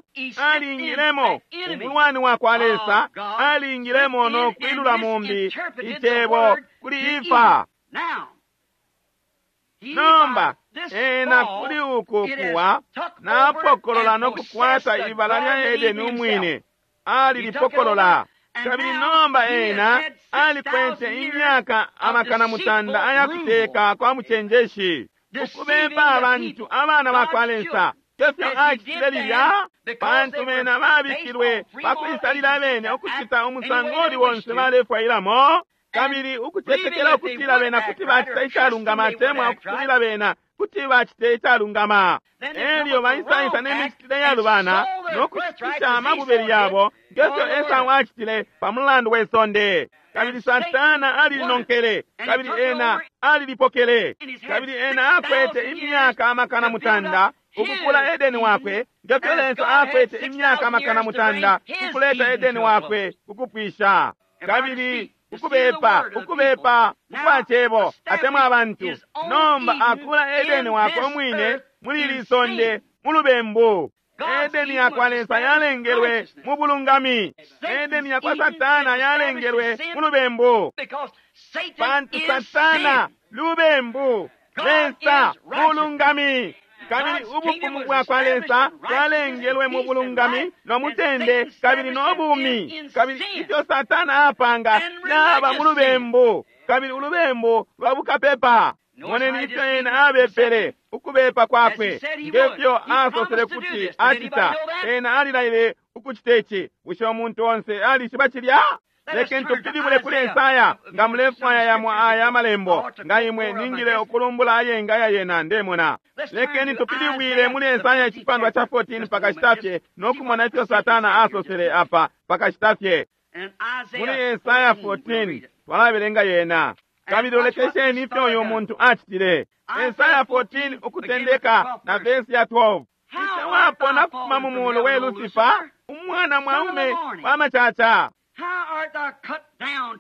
Alingilemo umulwani wakwa Lesa, alingilemo no kwilula mumbi icebo kuli Efa. Nomba ena kuli uku kuwa napokolola no kukwata ibala lya Edeni umwine, alilipokolola. Kabili nomba ena alikwete imyaka amakana mutanda ayakuteka kwa mucenjeshi, ukubepa abantu abana bakwa Lesa. Kefyo acitile lilya, pantu bena babikilwe pakwisalila abene ukucita umusango uli wonse balefwailamo, kabili ukucetekela ukutila bena kuti bacita icalungama atemwa ukusubila bena kuti bacite icalungama. Elyo baisaisa ne micitile yalubana no kushitisha amabubeli yabo, ngefyo Esau acitile pa mulandu we sonde. Kabili Satana alilinonkele, kabili ena alilipokele, kabili ena akwete imyaka amakana mutanda ukukula Edeni wakwe, ngefyo Lesa akwete imyaka amakana mutanda ukuleta Edeni wakwe ukupwisha. Kabili ukubepa ukubepa ukwa cebo atemwa abantu, nomba akula Edeni wakwe umwine muli ili sonde mu lubembu. Edeni yakwa Lesa yalengelwe mu bulungami, Edeni yakwa Satana yalengelwe mu lubembu, pantu Satana lubembu, Lesa bulungami. Kabili ubufumu bwakwa Lesa bwalengelwe mu bulungami no mutende kabili no bumi. Kabili ifyo Satana apanga yaba mu lubembu, kabili ulubembu lwa bukapepa. Moneni ifyo ena abepele ukubepa kwakwe, ngefyo asosele kuti acita. Ena alilaile ukucita ici. Bushe umuntu onse alishiba cilya? Lekeni tupilibule kuli Esaya nga mulefwaya yamo aya amalembo, nga imwe ningile ukulumbula ayenga ya yena ndemona. Lekeni tupilibwile muli Esaya icipandwa ca 14 pakashita fye no kumona ifyo Satana asosele apa pakashita fye. Muli Esaya 14 twalabelenga yena. Kabili lolekesheni ifyo uyu muntu acitile. Esaya 14 ukutendeka na vesi ya 12. Ifyo wapona kufuma mu mulu we Lusifa, umwana mwaume wa macaca.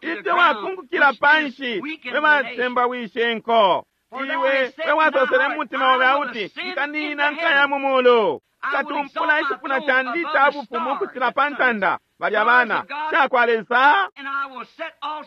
Ifyo wakungukila panshi we batemba wishe nko. Iwe we wasosele mutima obe auti, nkanina nkaya mu mulu, nkatumpula icipuna candi ca bufumu ukucila pa ntanda. Balya bana cakwa Lesa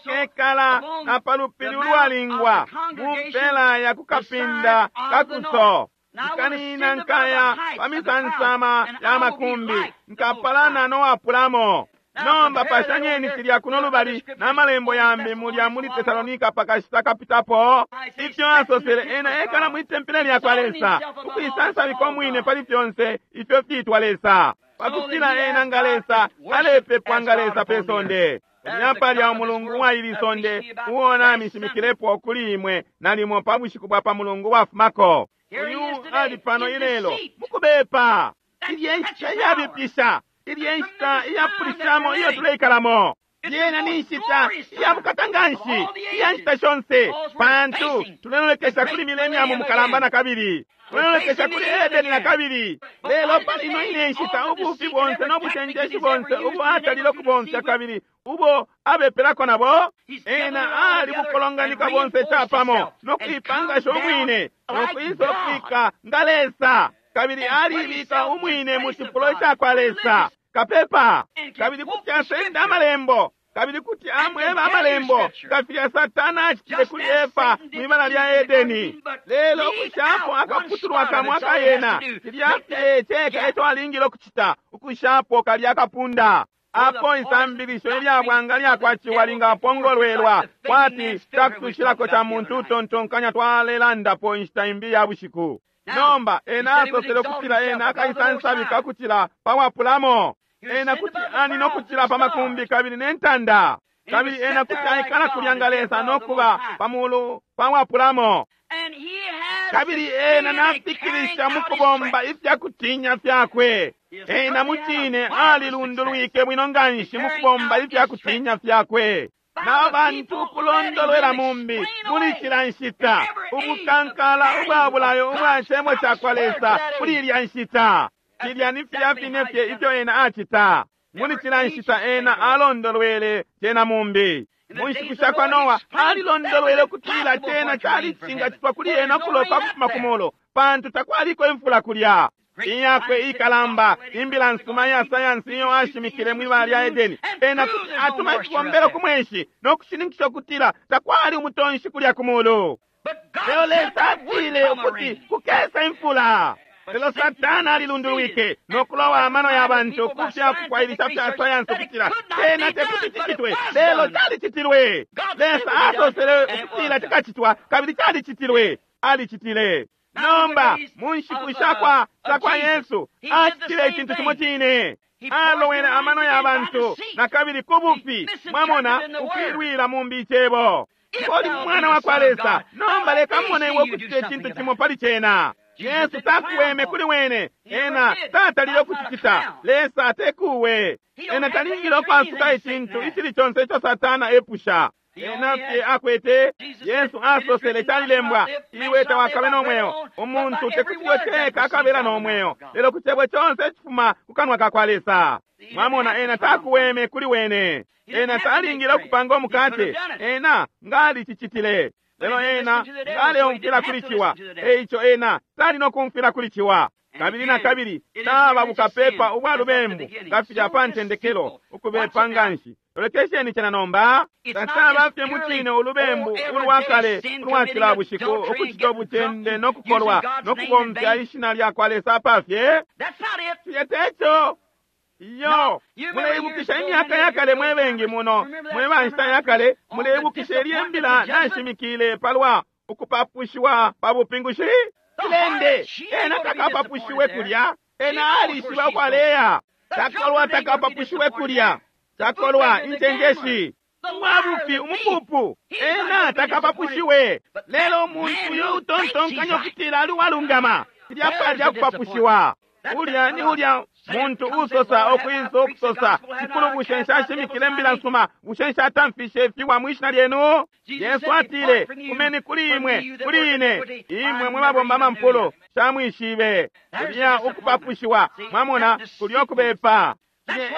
kekala na palupili ulwalingwa mu mpela ya kukapinda kakuso. Nkanina nkaya pa misansama ya makumbi, nkapalana nowapulamo. Nomba pashanyeni cilya kuno lubali na malembo yambi mulya muli Tesalonika pakashita kapitapo. Ifyo asosele ena ekala mwi tempele lyakwa Lesa, ukwisansabika umwine pali fyonse ifyo fyitwa Lesa, pakutila ena nga Lesa alepepwa nga Lesa pe sonde. Ulya palya umulungu wa ili sonde uo namishimikilepo kuli imwe nalimo pa bushiku bwa pa mulungu wafumako. Uyu ali pano ilelo mukubepa. Ilye nshita iyabipisha, ilye nshita iyapulishamo iyo tuleikalamo. Yena ni nshita iya bukata nganshi iya nshita shonse, pantu tulelolekesha kuli millennium mukalamba na kabili, tulelolekesha kuli Edeni na kabili. Lelo pali ino ine nshita ubufi bonse no bucenjeshi bonse ubo atalile ukubomfya kabili ubo abepelako nabo, ena ali bukolonganika bonse capamo no kuipangasha umwine no kuisa ukufika nga Lesa, kabili alibika umwine mu cifulo cakwa Lesa kapepa, kabili kuti asenda amalembo, kabili kuti amweba amalembo nga filya Satana acitile kuli Efa mwibala lya Edeni. Lelo ukushapo akaputulwa kamo akayena, cilya fye ceka eco alingile ukucita, ukushapo kalya akapunda. Apo isambilisho ilya bwanga lyakwa ciwa lingapongolwelwa kwati cakutushilako ca muntu utontonkanya twalelandapo inshita imbi ya bushiku. Nomba ena asosele ukutila ena akaisansabika kucila pawapulamo, ena kuti ani nokucila pa makumbi kabili nentanda, kabili ena kuti aikala kulya nga Lesa nokuba pamulu pawapulamo. Kabili ena nafikilisha mukubomba ifyakutinya fyakwe. Ena mucine alilundulwike bwino nganshi mukubomba ifyakutinya fyakwe. Na bantu kulondolwela mumbi muli cila nshita ubukankala ubwa bulayo ubwa cebo cakwa Lesa kuli ilya nshita. Cilya ni filya fine fye ifyo ena acita muli cila nshita. Ena alondolwele cena mumbi. Mu nshiku shakwa Noa alilondolwele ukutila cena cali cingacitwa kuli ena ukuloka ukufuma ku mulu, pantu takwaliko imfula kulya. Iyakwe ikalamba imbila nsuma ya sayansi iyo ashimikile mwibala lya Edeni, ena kuti atuma ifibombelo ku mwenshi no kushininkisha ukutila takwali umutonshi kulya ku mulu. Lelo Lesa atile ukuti kukesa imfula. Lelo Satana alilundulwike no kulowa amano ya bantu ku fya kukwailisha fya sayansi ukutila cena tekuti cicitwe, lelo calicitilwe. Lesa asosele ukutila cikacitwa, kabili calicitilwe. Alicitile. Nomba mu nshiku shakwa Yesu acitile icintu cimo cine. Alowele amano ya bantu na kabili ku bufi, mwamona, ukwilwila mumbi icebo. Oli mwana wa kwa Lesa, nomba leka mone iwe ukucita icintu cimo pali cena. Yesu takuweme kuli wene, ena tatalile ukucicita. Lesa tekuwe, ena talingile ukwasuka icintu icili conse ico Satana epusha. Ena fye akwete. Yesu asosele calilembwa, iwe tawakabe no mweo. Umuntu tekuti ceka akabela no mweo, lelo ku cebo conse icifuma ku kanwa ka kwa Lesa. Mwamona, ena takuweme kuli wene. Ena talingile ukupanga umukate, ena ngalicicitile. Lelo ena ngaleumfwila kuli ciwa, eico ena tali no kumfwila kuli ciwa. Kabili na kabili taba bukapepa ubwa lubembu nga filya pa ntendekelo, ukubepa nganshi. Lolekesheni cena nomba. Tataba fye mucine ulubembu ulwa kale ulwa cila bushiku, ukucita ubucende no kukolwa no kubomfya ishina lya kwa Lesa pafye. Cilya teco. Iyo, muleibukisha imyaka ya kale mwe bengi muno, mwe ba nshita ya kale, muleibukisha ilye mbila nashimikile palwa ukupapushiwa pa bupingushi. Cilende, ena takapapushiwe kulya, ena alishiba ukwaleya. Takolwa takapapushiwe kulya, takolwa incenjeshi, umwabufi umupupu, ena takapapushiwe. Lelo umuntu uyo utontonkanya ukutila ali uwalungama, cilya palya kupapushiwa. Ulya ni ulya muntu usosa okwisa okusosa, Shikulu, bushe nshashimikile mbila nsuma, bushe nshatamfishe ifiwa mwishina lyenu? Yesu atile, fumeni kuli imwe, kuli ine, imwe mwe babomba amampulo, shamwishibe. Kulya ukupapushiwa, mwamona, kulya ukubepa.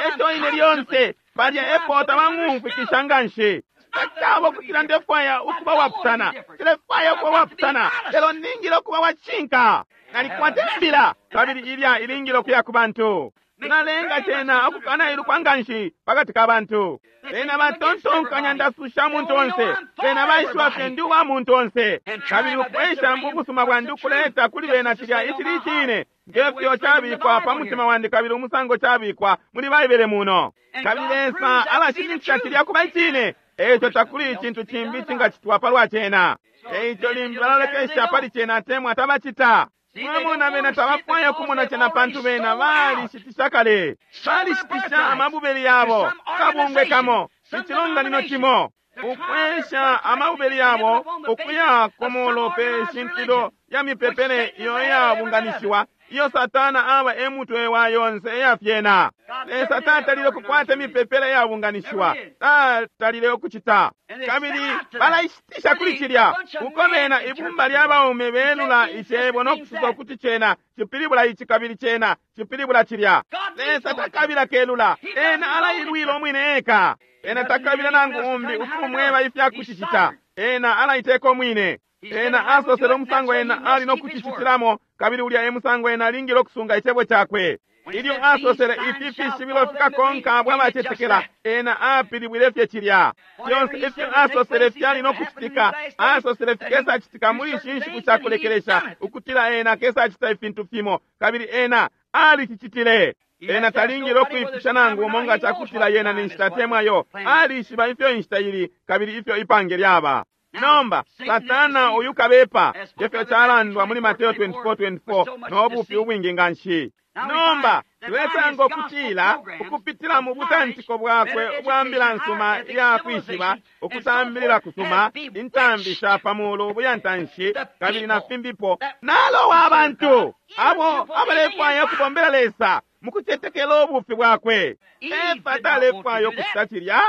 Eco ine lyonse palya epo tabang'umfwikisha nganshi. Tacaba ukutila ndefwaya ukuba wapusana, ndefwaya ukuba wapusana, lelo ningile ukuba wacinka. Nalikwata imbila kabili ilya ilingile ukuya ku bantu. Nalenga cena ukukana ilukwa nganshi pakati ka bantu. Bena batontonkanya ndasusha muntu onse, bena baishiba fye ndi uwa muntu onse. Kabili ukwesha ubusuma bwandi ukuleta kuli bena cilya icili icine, ngefyo cabikwa pa mutima wandi kabili umusango cabikwa muli Baibele muno. Kabili Lesa alashininkisha cilya kuba icine, eico takuli icintu cimbi cingacitwa palwa cena. Eico limbi balalolekesha pali cena atemwa tabacita. Mwamona, bena tabafwaya kumona cena pantu bena balishitisha kale, balishitisha amabubeli yabo kabungwe kamo. Icilonganino cimo ukwesha amabubeli yabo ukuya komolo pe shintilo ya mipepele iyo iyabunganishiwa, iyo Satana aba emutwe wa yonse eyafyena. Lesa tatalile ukukwata imipepele iyabunganishiwa, tatalile ukucita. Kabili balaishitisha kuli cilya, uko bena ibumba lya baume belula icebo no kusosa ukuti cena cipilibula ici kabili cena cipilibula cilya. Lesa takabila kelula, ena alailwila umwine eka. Ena takabila nangu umbi ukumweba ifya kucicita, ena alaiteka umwine. Ena asosele umusango ena ali no kucicitilamo, kabili ulya e musango ena alingile ukusunga icebo cakwe. Ilyo asosele ifi fishibilo fikakonka abo abacetekela, ena apilibwile fye cilya. Fyonse ifyo asosele fyali no kucitika, asosele fikesacitika muli ishi nshiku sha kulekelesha, ukutila ena akesacita ifintu fimo, kabili ena alicicitile. Ena talingile ukwipusha nangu umo nga cakutila yena ni nshita atemwa alishiba ifyo inshita ili kabili ifyo ipange lyaba. Nomba Satana uyu kabepa, ngefyo calandwa muli Mateo 24:24 no bufi ubwingi nganshi. Nomba tulesanga ukutila ukupitila mu butantiko bwakwe ubwa mbila nsuma iya kwishiba, ukusambilila kusuma, intambi sha pamulu ubuyantanshi kabili na fimbipo, nalowa abantu abo abalefwaya ukubombela Lesa mukucetekela ubufi bwakwe. Efa talefwaya ukucita cilya,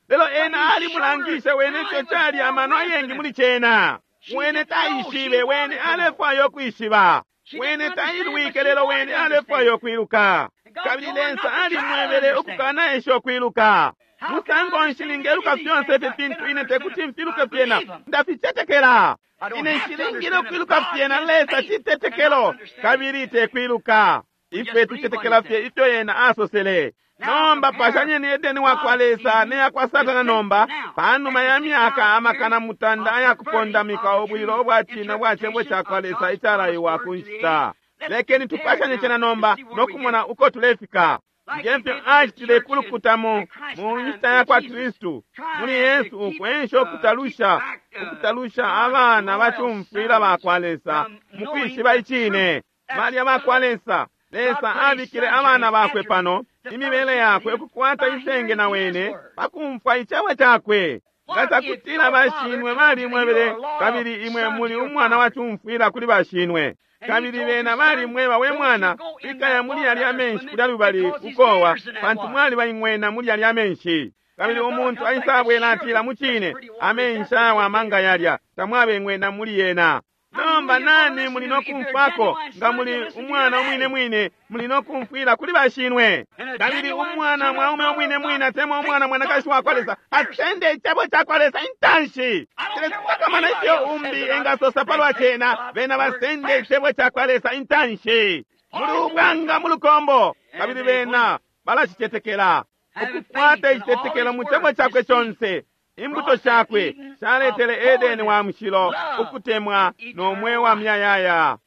lelo ena alimulangishe wene ifyo cali amano ayengi muli cena. Wene taishibe, wene alefwaya ukwishiba. Wene tailwike, lelo wene alefwaya ukwiluka. Kabili Lesa alimwebele ukukana esha ukwiluka. Musango nshi ningeluka fyonse ifi fintu ine tekuti mfiluke fyena, ndaficetekela. Ine nshilingile ukwiluka fyena, Lesa citetekelo kabili tekwiluka. Ifwe tucetekela fye ifyo yena asosele. Nomba pashanyeni Edeni wakwa Lesa ne yakwa Satana nomba, panuma ya myaka amakana mutanda ayakupondamika ubwilo ubwa cine bwa cebo cakwa Lesa icalaiwa ku nshita. Lekeni tupashanye cena nomba no kumona uko tulefika. Ngefyo acitile kulukuta mu nshita yakwa Kristu, muli Yesu ukwensha ukutalusha abana bacumfwila bakwa Lesa mu kwishiba icine. Balya bakwa Lesa, Lesa abikile abana bakwe pano, imibele yakwe ukukwata isenge na wene pakumfwa icebo cakwe. Nga cakutila bashinwe balimwebele, kabili imwe muli umwana wacumfwila kuli bashinwe, kabili bena balimweba, we mwana, ikaya muli yalya amenshi kulya lubali ukowa, pantu mwaliba ing'wena muli yalya amenshi. Kabili umuntu aisabwela atila, mucine amenshi awama nga yalya, tamwabe ing'wena muli yena. Nomba nani muli no kumfwako? Nga muli umwana umwine mwine, muli no kumfwila kuli bashinwe. Kabili umwana mwaume umwine mwine atemwa umwana mwanakashi wakwa Lesa asende icebo cakwa Lesa intanshi. Tilesitakamana ifyo umbi engasosa palwa cena, bena basende icebo cakwa Lesa intanshi. Muli ubwanga mu lukombo, kabili bena balacicetekela. Ukukwata icitetekelo mu cebo cakwe conse. Imbuto shakwe shaletele Edeni wa mushilo, ukutemwa no mweo wa myayaya.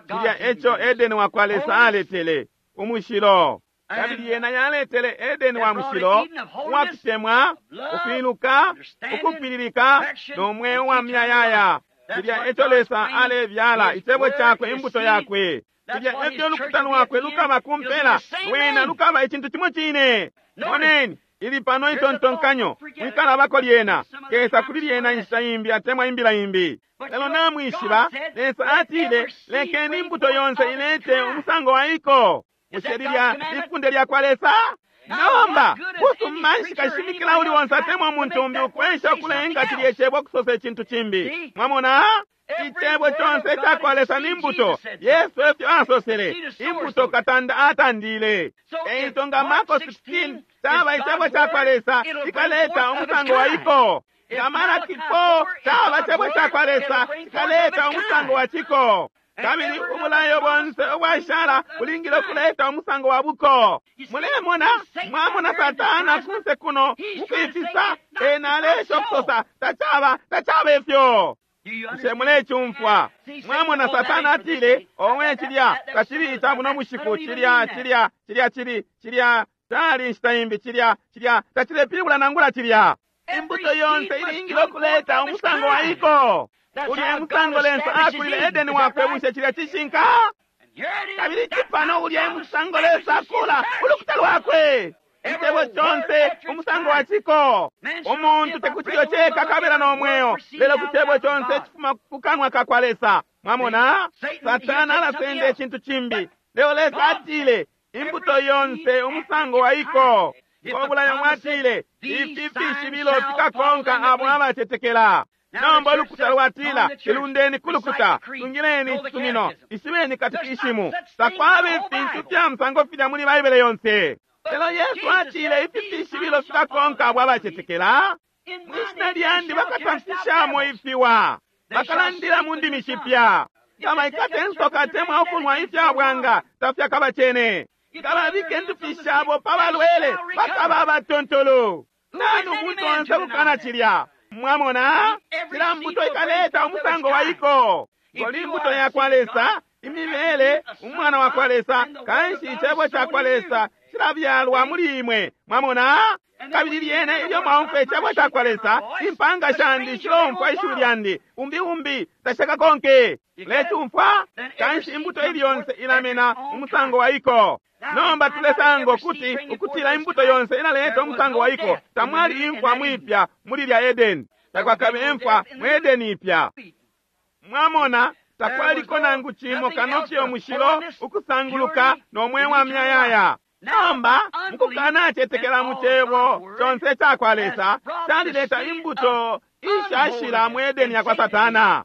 Cilya eco Edeni wakwa Lesa aletele, umushilo. Kabili yena yaletele Edeni wa mushilo, uwakutemwa, ukwiluka, ukupililika no mweo wa myayaya. Cilya eco Lesa alebyala, icebo cakwe, imbuto yakwe. Cilya efyo ulukuta lwakwe lukaba kumpela, lwena lukaba icintu cimo cine. Moneni, ili pano itontonkanyo, mwikalabako lyena, kesa kuli lyena inshita imbi atemwa imbila imbi. Lelo namwishiba, Lesa atile, lekeni imbuto yonse ilete umusango wa iko. Bushe lilya ifunde lyakwa Lesa? Nomba, busuma nshi kashimikila uli onse atemwa umuntu umbi ukwensha ukulenga cilye cebo ukusosa icintu cimbi. Mwamona? Icebo conse icakwa Lesa ni mbuto. Yesu efyo asosele, imbuto katanda atandile. Eico nga Marko 16 caba icebo cakwa Lesa, ikaleta umusango wa iko. Nga Malaki 4 caba cebo cakwa Lesa, ikaleta umusango wa ciko. Kabili ubulayo bonse ubwashala bulingile ukuleta umusango wa buko. Mulemona, mwamona Satana kunse kuno mukwifisa, ena alesha ukusosa tacaba, tacaba ifyo. Bushe mulecumfwa? Mwamona Satana atile, owe cilya tacili ica buno bushiku, cilya cilya cilya cili cilya cali inshita imbi, cilya cilya tacilepilibula nangula cilya. Imbuto yonse ilingile ukuleta umusango wa iko. Ulya musango Lesa akulile Edeni wakwe, bushe cilya cishinka? Kabili cipano ulya musango Lesa akula ulukuta lwakwe. Icebo conse umusango wa ciko. Umuntu tekuti ceka kabela no mweo, lelo ku cebo conse cifuma ku kanwa ka kwa Lesa. Mwamona, Satana alasenda icintu cimbi, lelo Lesa atile imbuto yonse umusango wa iko. Ngo bulayo mwatile ifi fishibilo fikakonka abo abacetekela. Nomba ulukuta lwatila ilundeni kulukuta, tungileni icisumino, ishibeni katikishimu. Takwaba ifintu fya musango filya muli Baibele yonse. Lelo Yesu atile ifi fishibilo fikakonka abo abacetekela. Mwishina lyandi bakatamfishamo ifiwa, bakalandila mu ndimi shipya. Kabaikate insoka temwa ukunwa ifya bwanga tafyakabacene. Kababike indupi shabo pa balwele bakaba abatontolo. Nani umuntu onse kukana cilya? Mwamona, cila mbuto ikaleta umusango wa iko. Ngoli imbuto ya kwa Lesa, imibele umwana wa kwa Lesa, kanshi icebo ca kwa Lesa cilabyalwa muli imwe. Mwamona, kabili lyene ilyo mwaumfwa icebo ca kwa Lesa, impanga shandi shilomfwa ishiwi lyandi, umbi umbi tashakakonke. Lecumfwa kanshi imbuto ili yonse ilamena umusango wa iko. Nomba tulesanga ukuti ukutila imbuto yonse ilaleta umusango wa iko. Tamwali imfwa mwipya muli lya Edeni, takwakabe imfwa mu Edeni ipya. Mwamona, takwaliko nangu cimo kano fye umushilo ukusanguluka no mweo wa myayaya. Nomba mukukanacetekela mu cebo conse ca kwa Lesa calileta imbuto ishashila mu Edeni ya kwa Satana.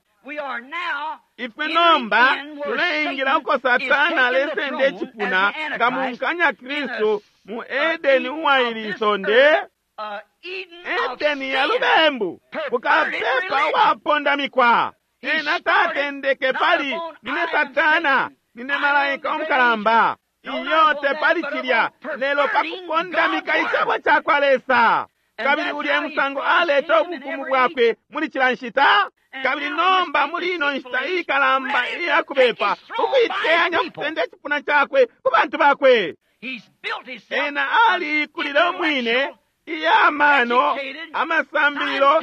Ifwe nomba tuleingila uko Satana alesenda icipuna nga munkanya Kristu mu Edeni uwaili isonde, Edeni ya lubembu, bukapepa uwapondamikwa. Ena tatendeke pali nine Satana, nine malaika umukalamba. Iyo tepali cilya, lelo pakupondamika icebo ca kwa Lesa. Kabili ulya musango aleta ubufumu bwakwe muli cila nshita. Kabili nomba muli ino nshita ikalamba iyakubepa, ukuiteyanya ukusenda icipuna cakwe ku bantu bakwe. Ena aliikulile umwine iya mano, amasambililo,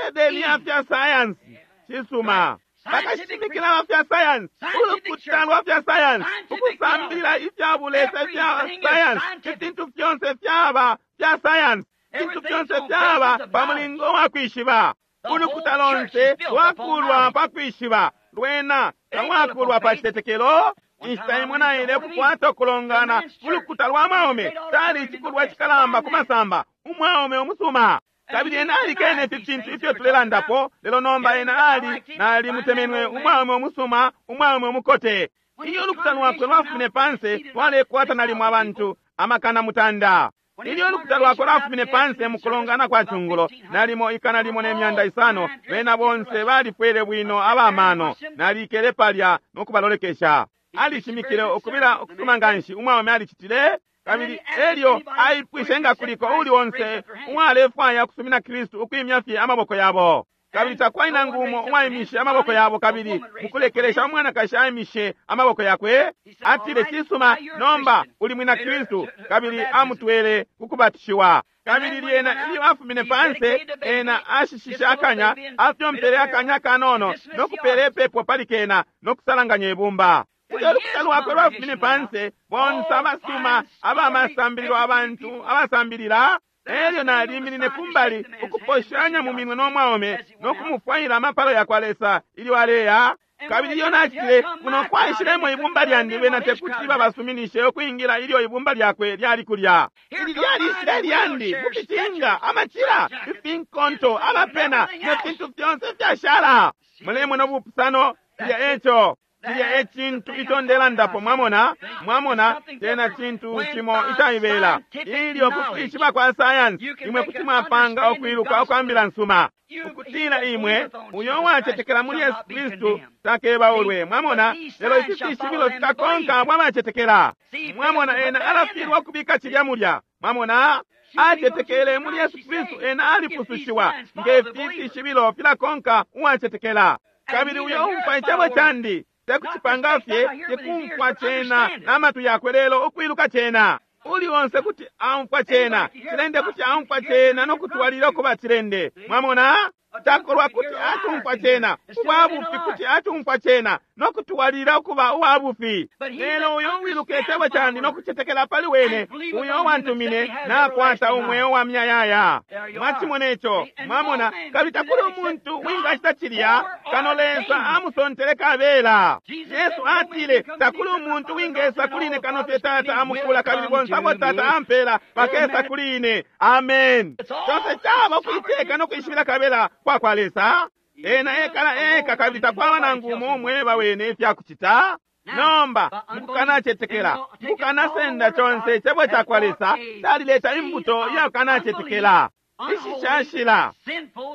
Edeni ya fya sayansi. Cisuma, bakashimikila ba fya sayansi, ulukuta lwa fya sayansi, ukusambilila ifya bulesa ifya sayansi, ifintu fyonse fyaba fya sayansi, ifintu fyonse fyaba pa mulingo wa kwishiba. Ulukuta lonse lwakulwa pa kwishiba, lwena talwakulwa pa citetekelo. Inshita imwe naile ukukwata ukulongana ulukuta lwa mwaume, cali icikulwa cikalamba ku masamba, umwaume umusuma. Kabili ena alikene ifi fintu ifyo tulelandapo, lelo nomba ena ali nali mutemenwe umwaume umusuma, umwaume umukote. Iyo ulukuta lwakwe lwafumine panse lwalekwata nalimo abantu amakana mutanda. Ilyo ulukuta lwakwe lwafumine panse mu kulongana kwa cungulo, nalimo 1,500, bena bonse balifwele bwino abamano. Nalikele palya no kubalolekesha. Alishimikile ukubila ukusuma nganshi umwaume alicitile. Kabili elyo aipwishe nga kuliko uli onse uwalefwaya kusumina Kristu ukwimya fye amaboko yabo. Kabili takwali nangu umo uwaimishe amaboko yabo. Kabili mukulekelesha umwanakashi aimishe amaboko yakwe, atile, cisuma, nomba uli mwina Kristu. Kabili amutwele kukubatishiwa. Kabili lyena ilyo afumine panse, ena ashishishe akanya, afyompele akanya kanono no kupela ipepo pali kena no kusalanganya ibumba. Ilyo ulukuta lwakwe lwafumine panse, bonse abasuma abamasambililo, abantu abasambilila, elyo naliminine kumbali ukuposhanya mu minwe no mwaume no kumufwaila amapalo ya kwa Lesa ilyo aleya. Kabili ilyo nacitile kuno kwaishilemo ibumba lyandi, bena tekuti babasuminishe ukwingila ilyo ibumba lyakwe lyali kulya. Ili lyalishile lyandi mukicinga, amacila, ifinkonto, abapena ne fintu fyonse fyashala. Mulemona ubupusano filya eco. Cilya e cintu ico ndelandapo, mwamona, mwamona, tena cintu cimo icaibela. Ilyo kukwishiba kwa sayansi, imwe kuti mwapanga ukwiluka ukwambila nsuma. Ukutila imwe, uyo uwacetekela muli Yesu Kristu takebaulwe, mwamona, lelo ifi fishibilo fikakonka abo abacetekela. Mwamona, ena alafilwa ukubika cilya mulya, mwamona. Acetekele muli Yesu Kristu, ena alipusushiwa, nge fi fishibilo filakonka uwacetekela. Kabili uyo umfwa icebo candi, tekucipanga fye, tekumfwa cena n'amatwi yakwe, lelo ukwiluka cena. Uli onse kuti aumfwa cena, cilende kuti aumfwa cena no kutwalila ukuba cilende. Mwamona, takolwa kuti atumfwa cena, ubwa bufi kuti atumfwa cena, no kutwalilila ukuba uwa bufi. Lelo uyo uwiluka icebo candi no kucetekela pali wene uyo wantumine nakwata umweo wa muyayaya. Mwacimona ico, mwamona. Kabili takuli umuntu wingacita cilya kano Lesa amusontele kabela. Yesu atile, takuli umuntu wingesa kuli ine kano fye Tata amukula, kabili bonse abo Tata ampela bakesa kuli ine. Amen. Conse caba ukuiteka no kwishibila kabela kwa kwa Lesa. Ena ekala eka, kabili takwaba nangu umo umweba wene ifyakucita. Nomba mukukanacetekela, mukukanasenda conse icebo ca kwa Lesa, calileta imbuto iyakukanacetekela, ishishashila,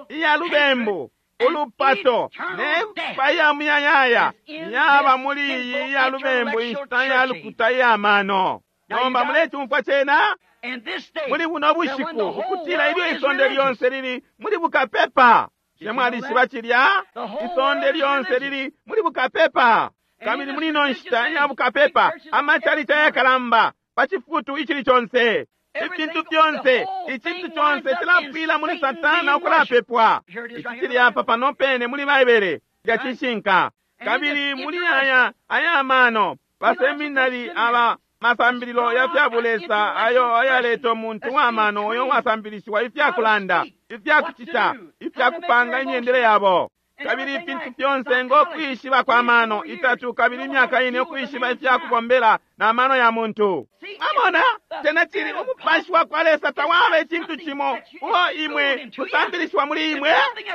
iya lubembu, ulupato, ne mfwa iya muyayaya yaba muli iyi iya lubembu inshita ya lukuta iya mano. Nomba mulecumfwa cena muli buno bushiku, ukutila ilyo isonde lyonse lili muli bukapepa. Mwalishiba cilya? Isonde lyonse lili muli bukapepa. Kabili muli ino nshita iya bukapepa, amachalichi ayakalamba pa cifutu icili conse, ifintu fyonse, icintu conse cilapwila muli Satana ukulapepwa. Ici cili apa pano pene muli Baibele, cilya cishinka. Kabili muli aya ayamano baseminari aba masambililo ya fya bulesa ayo ayaleta umuntu wa mano uyo wasambilishiwa ifya kulanda, ifya kucita, ifya kupanga imyendele yabo. Kabili ifintu fyonse ngo kwishiba kwa mano itatu kabili imyaka ine ukwishiba ifya kubombela na mano ya muntu. Mwamona, cena cili umupashi wa kwa Lesa tawaba icintu cimo uo imwe kusambilishiwa muli imwe.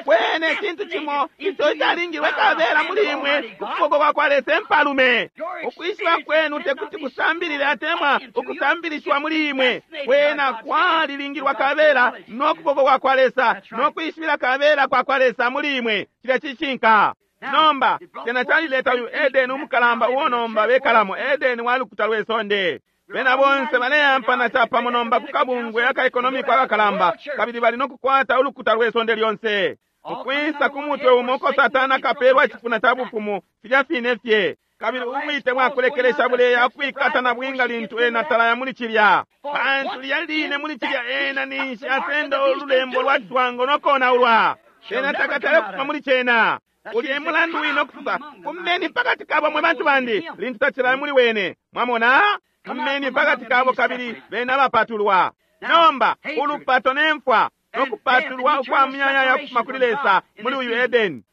Wene icintu cimo ico calingilwe kabela muli imwe kukuboko kwa kwa Lesa empalume. Ukwishiba kwenu tekuti kusambilile atemwa ukusambilishiwa muli imwe. Wena kwalilingilwa kabela no kuboko kwa kwa Lesa no kwishibila kabela kwa kwa Lesa muli imwe. Cilya cishinka. Nomba cena calileta uyu Edeni umukalamba uo nomba bekalamo, Edeni wa lukuta lwe sonde. Bena bonse baleyampana capamo nomba ku kabungwe aka ekonomiko akakalamba, kabili bali no kukwata ulukuta lwe sonde lyonse. Ukwisa ku mutwe umo uko Satana akapelwa icipuna ca bufumu, filya fine fye. Kabili ubwite bwakulekelesha buleya ukwikata na bwinga lintu ena talaya muli cilya, pantu lya line muli cilya ena ninshi asenda ululembo lwa citwango no konaulwa. Cena takatale kufuma muli cena. Uli emulandu wino kusosa, fumeni pakati kabo mwe bantu bandi, lintu tacilaya muli wene. Mwamona? Fumeni pakati kabo kabili bena bapatulwa. Nomba ulupato ne mfwa no kupatulwa ukwa muyayaya kufuma kuli Lesa muli uyu Edeni.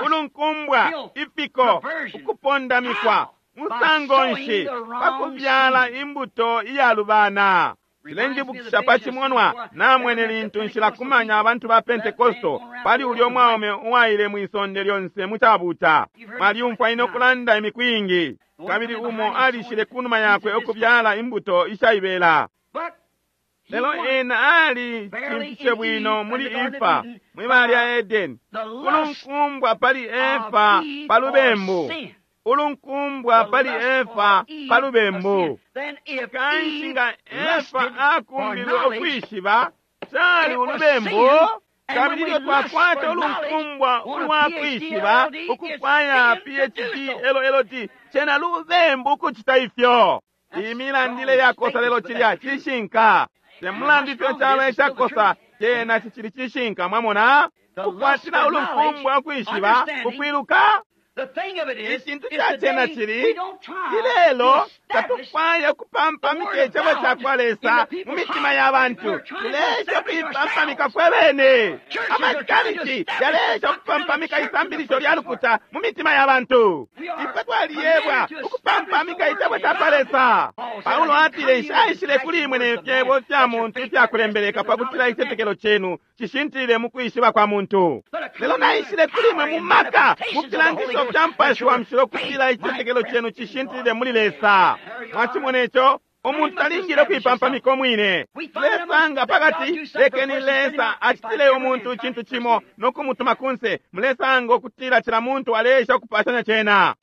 Ulunkumbwa, ifiko, ukupondamikwa, musango nshi pakubyala imbuto iyalubana. Cilenjibukisha pa cimonwa namwene lintu nshilakumanya abantu ba Pentekosto pali ulyo mwaume uwaile mwisonde lyonse mu cabuta. Mwalyumfwa ine ukulanda imiku iingi. Kabili umo alishile kunuma yakwe ukubyala imbuto ishaibela. Lelo ena ali cimfishe bwino muli Efa mwibala lya Edeni. Ulunkumbwa pali Efa pa lubembu. Ulunkumbwa pali Efa pa lubembu. Kanshi nga Efa akumbilwe ukwishiba cali ulubembu. Kabili ilyo twakwata ulunkumbwa ulwa kwishiba ukufwaya PhD LLD, cena lubembu ukucita ifyo. Imilandile yakosa lelo cilya cishinka. Temulandu ifyo calo icakosa, cena cicili cishinka. Mwamona, kukwatila ulunkumbwa ukwishiba ukwiluka. Icintu ca cena cili ilelo tatufwaya ukupampamika icebo ca kwa Lesa mu mitima ya bantu. Tulesha ukuipampamika fwe bene. Amacalici yalesha ukupampamika isambilisho lya lukuta mu mitima ya bantu. Ifwe twaliyebwa ukupampamika icebo ca kwa Lesa. Paulo atile, nshaishile kuli imwe ne fyebo fya muntu ifyakulembeleka pakutila icitetekelo cenu cishintilile mu kwishiba kwa muntu. Lelo naishile kuli imwe mu maka, mu filangisho fya Mupashi wa Mushilo, kutila icitetekelo cenu cishintilile muli Lesa. Mwacimona ico? Umuntu talingile ukuipampamika umwine. Tulesanga pakati, lekeni Lesa acitile umuntu icintu cimo no kumutuma kunse. Mulesanga ukutila cila muntu aleesha ukupashanya cena.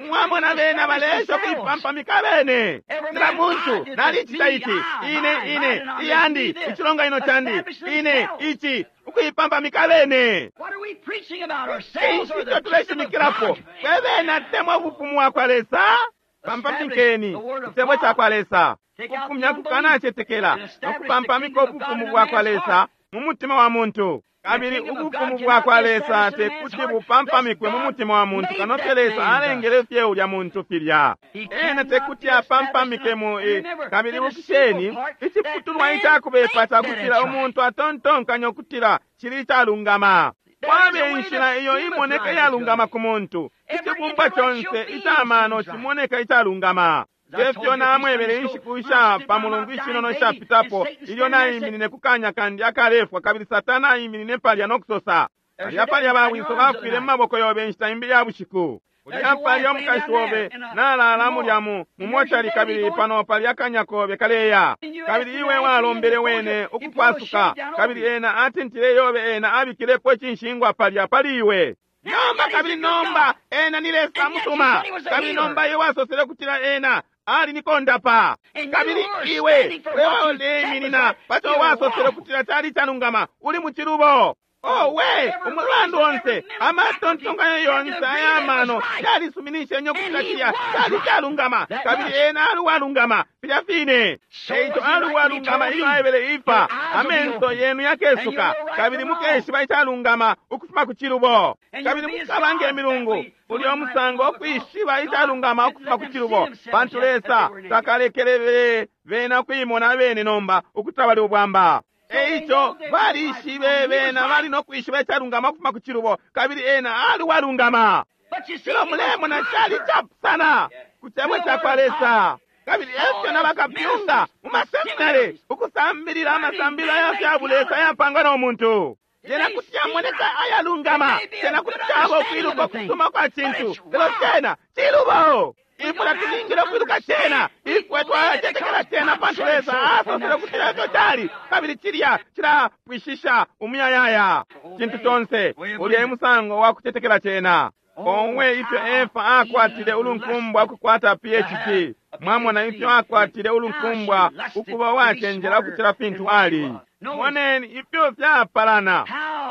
Mwamona bena baleesha ukuipampamika bene. Cila muntu, nalicita ici, ine, ine, iyandi, icilonganino candi, ine, ici, ukuipampamika bene. Cinshi ico tuleshimikilapo? Fwe bene atemwa ubufumu wa kwa Lesa? Pampamikeni icebo ca kwa Lesa, kufumya kukanacetekela no kupampamika ubufumu bwa kwa Lesa mu mutima wa muntu. Kabili ubufumu bwakwa Lesa tekuti bupampamikwe mu mutima wa muntu kano fye Lesa alengele fye ulya muntu filya. Ena tekuti apampamike mu kabili ibukisheni iciputulwa icakubepa cakutila umuntu atontonkanya ukutila cili icalungama. Kwabe inshila iyo imoneka iyalungama ku muntu. Icibumbwa conse icamano cimoneka icalungama. Efyo namwebele inshiku isha pa mulungu ishinono ishapitapo ilyo naiminine ku kanya kandi akalefwa kabili Satana aiminine palya no kusosa, Palya palya bawiso bafwile mu maboko yobe inshita imbi ya bushiku. Ulya palya umukashi obe nalala mulya mu mumochali kabili pano palya akanya kobe kaleya. Kabili iwe walombele wene ukukwasuka kabili ena atintile yobe ena abikilepo icinshingwa palya pali iwe. Nomba kabili nomba ena ni Lesa musuma kabili nomba iwe wasosele ukutila ena ali ni kondapa. Kabili iwe wewaleiminina paco wasosele ukutila cali calungama uli mucilubo. Owe, umulandu onse amatontonkanyo yonse ayamano yalisuminishenye ukutila cilya cali calungama kabili ena ali uwalungama filya fine. Eico ali uwalungama ilyo aebele Efa, amenso yenu yakesuka kabili mukeshiba icalungama ukufuma ku cilubo kabili mukaba nge milungu. Ulya umusango ukwishiba icalungama ukufuma ku cilubo, pantu Lesa takalekelele bena kuimona abene nomba ukutila bali ubwamba. Eico balishibe bena bali no kwishiba icalungama ukufuma ku cilubo kabili ena ali uwalungama. Lelo mulemona cali capusana ku cebo cakwa Lesa. Kabili efyo na bakapyunga mu maseminari ukusambilila amasambililo aya fya bulesa ayapangwa no muntu. Cena kuti yamoneka ayalungama, cena kuti caba ukwiluka ukusuma kwa cintu, lelo cena cilubo. Ifwe tatulingile ukwiluka cena, ifwe twacetekela cena pantu Lesa asosele ukutila efyo cali, kabili cilya cilapwishisha umuyayaya cintu conse. Ulya e musango wa kucetekela cena. Owe, ifyo Efa akwatile ulunkumbwa ukukwata PhD. Mwamona ifyo akwatile ulunkumbwa ukuba uwacenjela ukucila fintu ali. Moneni ifyo fyapalana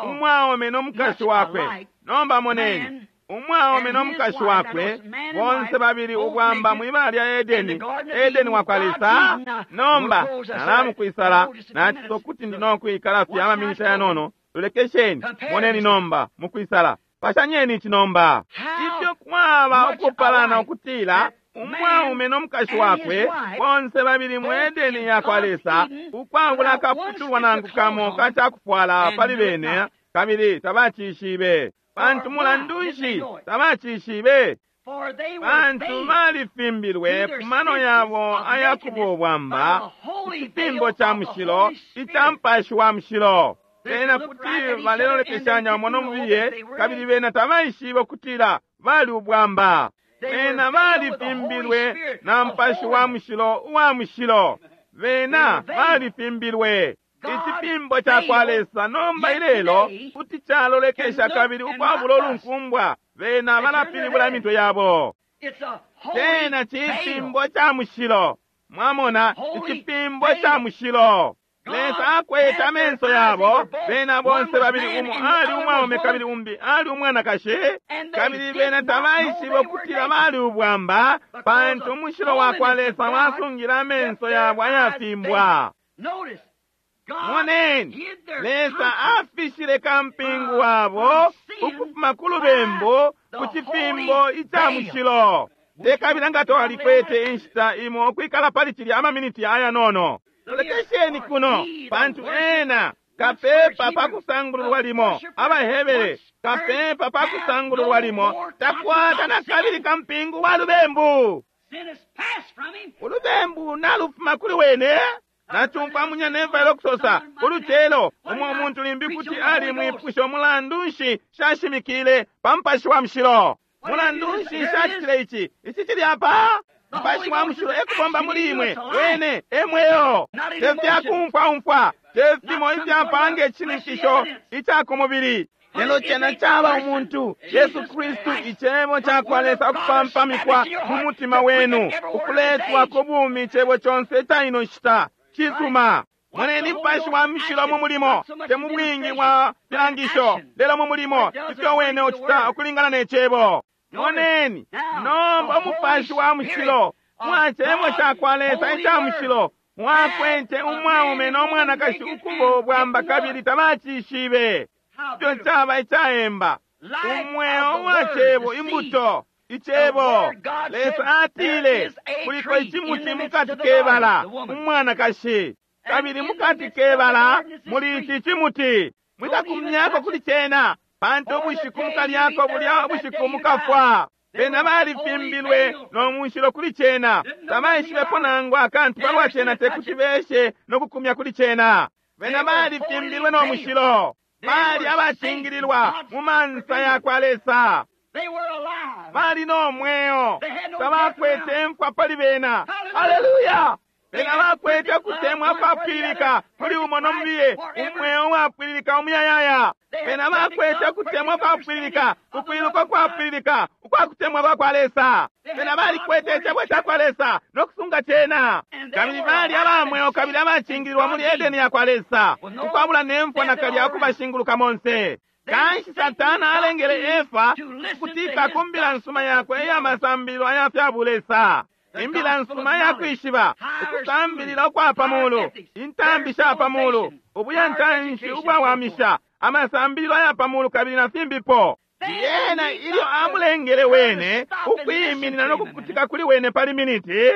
umwaume no mukashi wakwe. Nomba moneni umwaume no mukashi wakwe bonse babili ubwamba mwibala lya Edeni, Edeni wakwa Lesa. Nomba nalamukwisala naciso kuti ndi nokwikala fye amaminita yanono. Lolekesheni, moneni nomba mukwisala. Pashanyeni ici nomba. Ifyo kwaba ukupalana ukutila umwaume no mukashi wakwe bonse babili mu Edeni yakwa Lesa, ukwabula akaputulwa nangu kamo kacakufwala pali bene, kabili tabacishibe. Pantu mulandu nshi tabacishibe? Pantu balifimbilwe ku mano yabo ayakuba ubwamba, icifimbo ca mushilo ica Mupashi wa Mushilo. Bena kuti balelolekeshanya umo no mubiye, kabili bena tabaishibe ukutila bali ubwamba. Bena balifimbilwe na Mupashi wa Mushilo uwa mushilo. Bena balifimbilwe. Icifimbo cakwa Lesa nomba ilelo kuti calolekesha kabili ukwabula ulunkumbwa bena balapilibula imitwe yabo. Cena cifimbo ca mushilo. Mwamona, icifimbo ca mushilo. Lesa akwete amenso yabo, bena bonse babili, umo ali umwaume kabili umbi ali umwanakashi, kabili bena tabaishibe ukutila bali ubwamba, pantu umushilo wakwa Lesa wasungile amenso yabo ayafimbwa. Moneni, Lesa afishile kampingu wabo ukufuma ku lubembu ku cifimbo ica mushilo. Tekabila nga twalikwete inshita imo ukwikala pali cilya amaminiti ayanono. Lolekesheni kuno, pantu ena kapepa pakusangululwa limo, abaHebere kapepa pakusangululwa limo, takwata na kabili kampingu wa lubembu. Ulubembu nalufuma kuli wene. Nachumfwa munyaneva elo kusosa ulucelo umwe umuntu limbi kuti ali mwipusho mulandu nshi shashimikile pa Mupashi wa Mushilo, mulandu nshi shacitile ici, ici cili apa. Mupashi wa Mushilo ekubomba muli imwe, wene emweyo. Tefyakumfwaumfwa, tefimo ifyapanga icishininkisho ica ku mubili, lelo cena caba umuntu Yesu Kristu, icebo cakwa Lesa ukupampamikwa mu mutima wenu, ukuletwa ku bumi icebo conse ica ino nshita. Cisuma. Moneni Mupashi wa Mushilo mu mulimo, te mu bwingi bwa filangisho, lelo mu mulimo, ifyo wene ucita ukulingana ne cebo. Moneni nomba Umupashi wa Mushilo mwa cebo cakwa Lesa ica mushilo Mwakwete umwaume no mwanakashi ukubo bwamba kabili tabacishibe. Ifyo caba icaemba. Umweo wa cebo, imbuto, icebo. Lesa atile, kuliko icimuti mukati kebala, umwanakashi. Kabili mukati kebala, muli ici cimuti. Mwikakumyako kuli cena, pantu ubushiku mukalyako bulya ubushiku mukafwa. Bena balifimbilwe no mushilo kuli cena. Tabaishibepo nangu akantu palwa cena, tekuti beshe no kukumya kuli cena. Bena balifimbilwe no mushilo. Bali abacingililwa mu mansa ya kwa Lesa. Bali no mweo. Tabakwete mfwa pali bena. Haleluya! Bena bakwete kutemwa kwapwililika kuli umo no mubiye, umweo wapwililika umuyayaya. Bena bakwete kutemwa kwapwililika, ukwiluka kwapwililika, ukwakutemwa kwa kwa Lesa. Bena balikwete icebo ca kwa Lesa no kusunga cena. Kabili bali abamweo kabili abacingililwa muli Edeni ya kwa Lesa, ukwabula nemfwa nakalya ukubashinguluka monse. Kanshi Satana alengele Efa kukutika ku mbila nsuma yakwe iya masambililo aya fya bulesa. Imbila nsuma ya kwishiba, ukusambilila ukwa pamulu, intambi sha pamulu, ubuyantanshi ubwawamisha, amasambililo aya pamulu kabili na fimbipo. Yena ilyo amulengele wene ukwiminina no kukutika kuli wene pali miniti,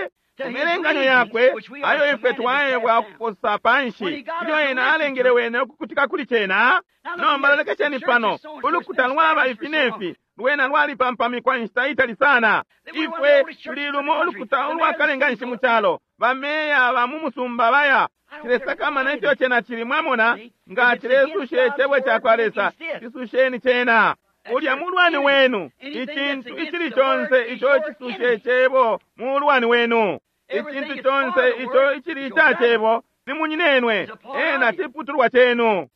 imelenganyo yakwe ayo ifwe twaebwa ukuposa panshi, ilyo ena alengele wene ukukutika kuli cena. Nomba lolekesheni pano, ulukuta lwaba ifi nefi, lwena lwalipampamikwa inshita itali sana. Ifwe tuli lumo ulukuta ulwakalenga nshi mu calo, bameya ba mu musumba baya cilesakamana ifyo cena cili. Mwamona, nga cilesusha icebo ca kwa Lesa, cisusheni cena. Ulya mulwani wenu, icintu icili conse ico cisusha icebo mulwani wenu. Icintu conse ico icili ica cebo ni munyinenwe, ena ciputulwa cenu.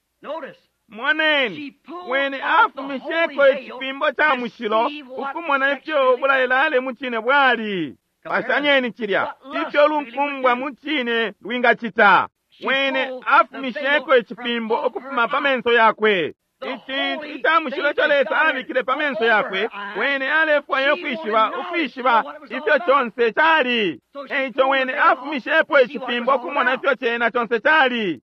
Moneni, wene afumisheko icipimbo ca mushilo ukumona ifyo ubulaelale mu cine bwali. Pashanyeni cilya ifyo lunkumbwa mu cine lwingacita. Wene afumisheko icipimbo ukufuma pa menso yakwe. Icintu ica mushilo ico Lesa abikile pa menso yakwe, wene alefwaya ukwishiba, ukwishiba ifyo conse cali. Eico wene afumishepo icipimbo ukumona ifyo cena conse cali.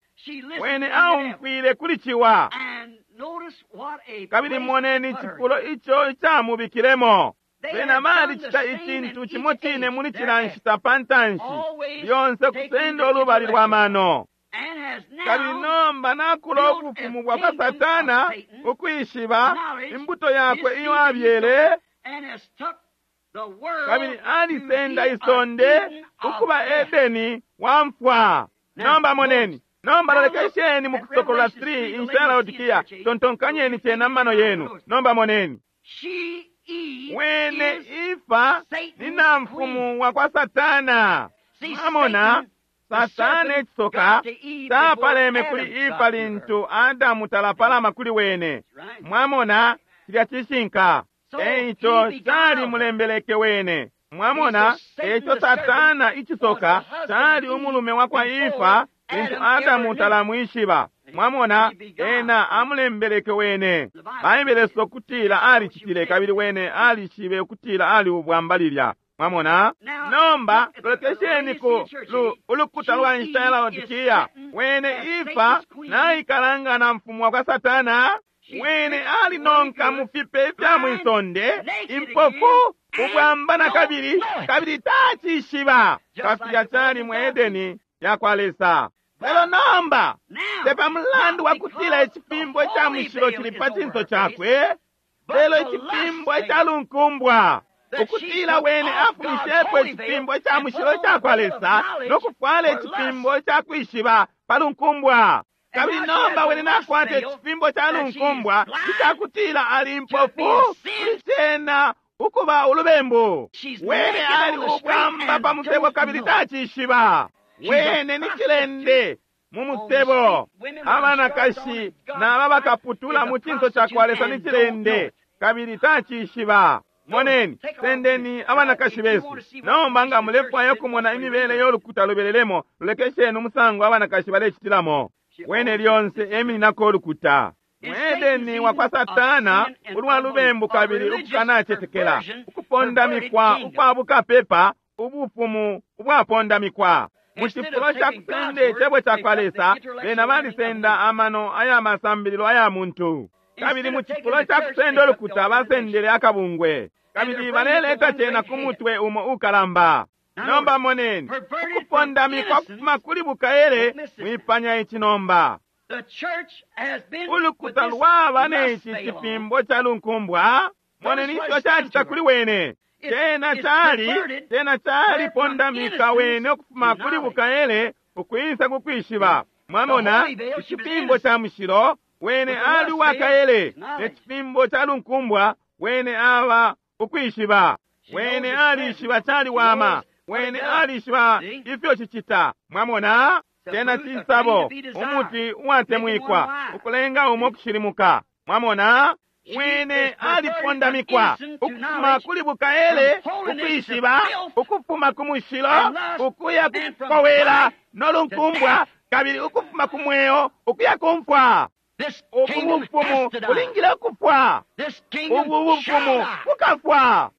Wene aumfwile kuli ciwa. Kabili moneni icifulo ico icamubikilemo. Bena balicita icintu cimo cine muli cila nshita pa ntanshi, lyonse kusenda ulubali lwa mano. Kabili nomba nakula ubufumu bwa kwa Satana, ukwishiba imbuto yakwe iyo abyele, kabili alisenda isonde ukuba Edeni wa mfwa. Nomba moneni. Nomba lolekesheni mu Kusokolola 3 inshita ya Laodikia, tontonkanyeni cena mano yenu. Nomba moneni. Wene ifa ni namfumu wa kwa Satana. Mwamona, Satana ecisoka tapaleme kuli ifa lintu Adamu talapalama kuli wene. Mwamona, cilya cishinka. Eico cali mulembeleke wene. Mwamona, eco Satana icisoka cali umulume wa kwa Ifa lintu Adamu talamwishiba. Mwamona, ena amulembeleke wene. Baibele sokutila alicitile kabili wene alishibe ukutila ali ubwamba lilya. Mwamona, nomba lolekesheni ku ulukuta lwa nshita ya Laodikia. Wene ifa naikalanga na mfumu wa kwa Satana. Wene alinonka mu fipe ifya mwisonde, impofu, ubwamba na kabili, kabili tacishiba kafilya cali mu Edeni ya kwa Lesa. Lelo nomba tepa mulandu wa kutila icipimbo ica mushilo cili pa cinso cakwe, lelo icipimbo ica lunkumbwa ukutila wene afumishepo icipimbo ica mushilo ica kwa Lesa no kufwala icipimbo ica kwishiba pa lunkumbwa. Kabili nomba wene nakwata icipimbo ca lunkumbwa icakutila ali mpofu kuli cena ukuba ulubembu. Wene ali ubwamba pa musebo kabili tacishiba. Wene ni cilende mu musebo. Abanakashi naba bakaputula mu cinso ca kwa Lesa ni cilende kabili tacishiba. Moneni, sendeni abanakashi besu. Nomba nga mulefwaya ukumona imibele y'olukuta lubelelemo, lulekesheni umusango abanakashi balecitilamo. Wene lyonse emininako olukuta. Mu Edeni wa kwa Satana ulwa lubembu kabili ukukanacetekela, ukupondamikwa ukwa bukapepa, ubufumu ubwapondamikwa. Mu cifulo ca kusenda Icebo cakwa Lesa, bena balisenda amano aya masambililo aya muntu. Kabili mu cifulo ca kusenda ulukuta, basendele akabungwe. Kabili baleleta cena ku mutwe umo ukalamba. Nomba moneni, ukupondamikwa kufuma kuli bukaele, mwipanya ici nomba. Ulukuta lwaba ne ci cifimbo ca lunkumbwa. Moneni ifyo cacita kuli wene. Cena cali, cena cali pondamika wene ukufuma kuli bukaele ukwisa kukwishiba. Mwamona, icifimbo ca mushilo, wene ali uwakaele, ne cifimbo ca lunkumbwa, wene aba ukwishiba. Wene alishiba caliwama, wene alishiba ifyo cicita. Mwamona, cena cisabo, umuti uwatemwikwa, ukulenga umo kushilimuka. Mwamona, wene alipondamikwa ukufuma kuli bukaele ukwishiba, ukufuma ku mushilo ukuya kukowela nolunkumbwa, kabili ukufuma ku mweo ukuya kumfwa. Ubu bufumu bulingile ukufwa. Ubu bufumu bukafwa.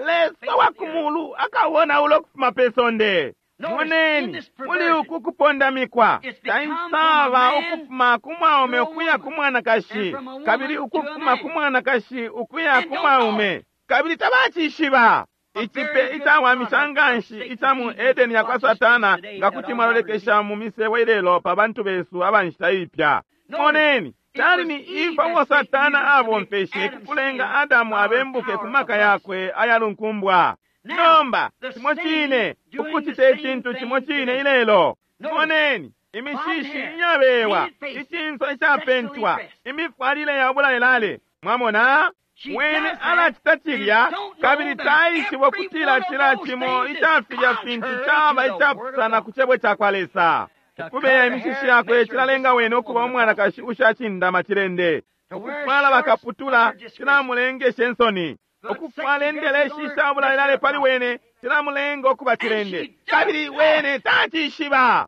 Lesa wa kumulu akawona ulo kufuma pe sonde. Moneni, muli uku kupondamikwa taisaba ukufuma ku mwaume ukuya ku mwanakashi, kabili ukufuma ku mwanakashi ukuya ku mwaume, kabili tabacishiba. Icipe icawamisha nganshi ica mu Edeni yakwa Satana, nga kuti mwalolekesha mu misebo ilelo pa bantu besu aba nshita ipya. Moneni, cali ni Ifa uo Satana abomfeshe kukulenga Adamu abembuke ku maka yakwe ayalunkumbwa. Nomba, cimo cine, ukucita icintu cimo cine ilelo. Moneni, imishishi iyabewa, icinso icapentwa, imifwalile ya bulalelale. Mwamona, wene alacita cilya, kabili taishiba ukutila cila cimo ica filya fintu caba icapusana ku cebo cakwa Lesa. Ukubeya imishishi yakwe cilalenga wene ukuba umwanakashi ushacindama cilende. Ukufwala bakaputula cilamulengeshe nsoni. Ukufwala indeleshi isha bulalelale pali wene cilamulenga ukuba cilende. Kabili wene tacishiba.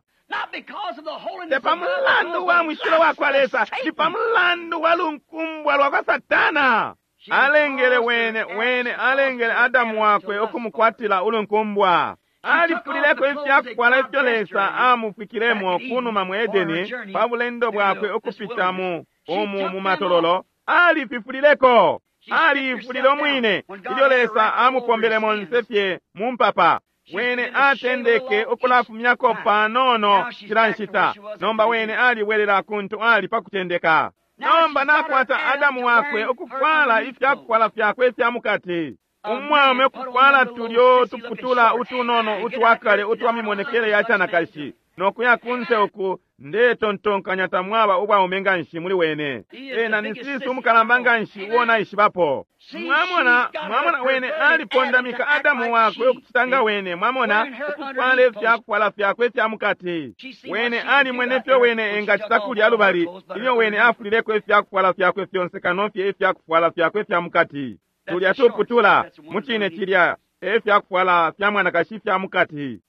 Te pa mulandu wa mushilo wa kwa Lesa, ni pa mulandu wa lunkumbwa lwa kwa Satana. Alengele wene, wene alengele Adamu wakwe ukumukwatila ulunkumbwa. Alifulileko ifyakufwala ifyo Lesa amufwikilemo kunuma mu Edeni pa bulendo bwakwe ukupita mu umu mu matololo. Alififulileko. Alifulile umwine ilyo Lesa amupombele monse fye mu mpapa. Wene atendeke ukulafumyako panono cila nshita. Nomba wene alibwelela kuntu ali pa kutendeka. Nomba nakwata Adamu wakwe ukufwala ifyakufwala fyakwe ifya mukati. Umwaume ukufwala tulyo tuputula utunono utwakale utwa mimonekele ya canakashi, nokuya kunse uku ndetontonkanya tamwaba ubwaume nganshi muli wene. Ena ni sisi umukalamba nganshi uo naishibapo. Mwamona, mwamona wene alipondamika Adamu wakwe ukucita nga wene. Mwamona, ukufwala ifyakufwala fyakwe ifya mukati. Wene alimwene ifyo wene engacita kulya lubali ilyo wene afulileko ifyakufwala fyakwe fyonse kano fye ifyakufwala fyakwe ifya mukati. Tulya tuputula mucine cilya efyakufwala fya mwanakashi ifya mukati.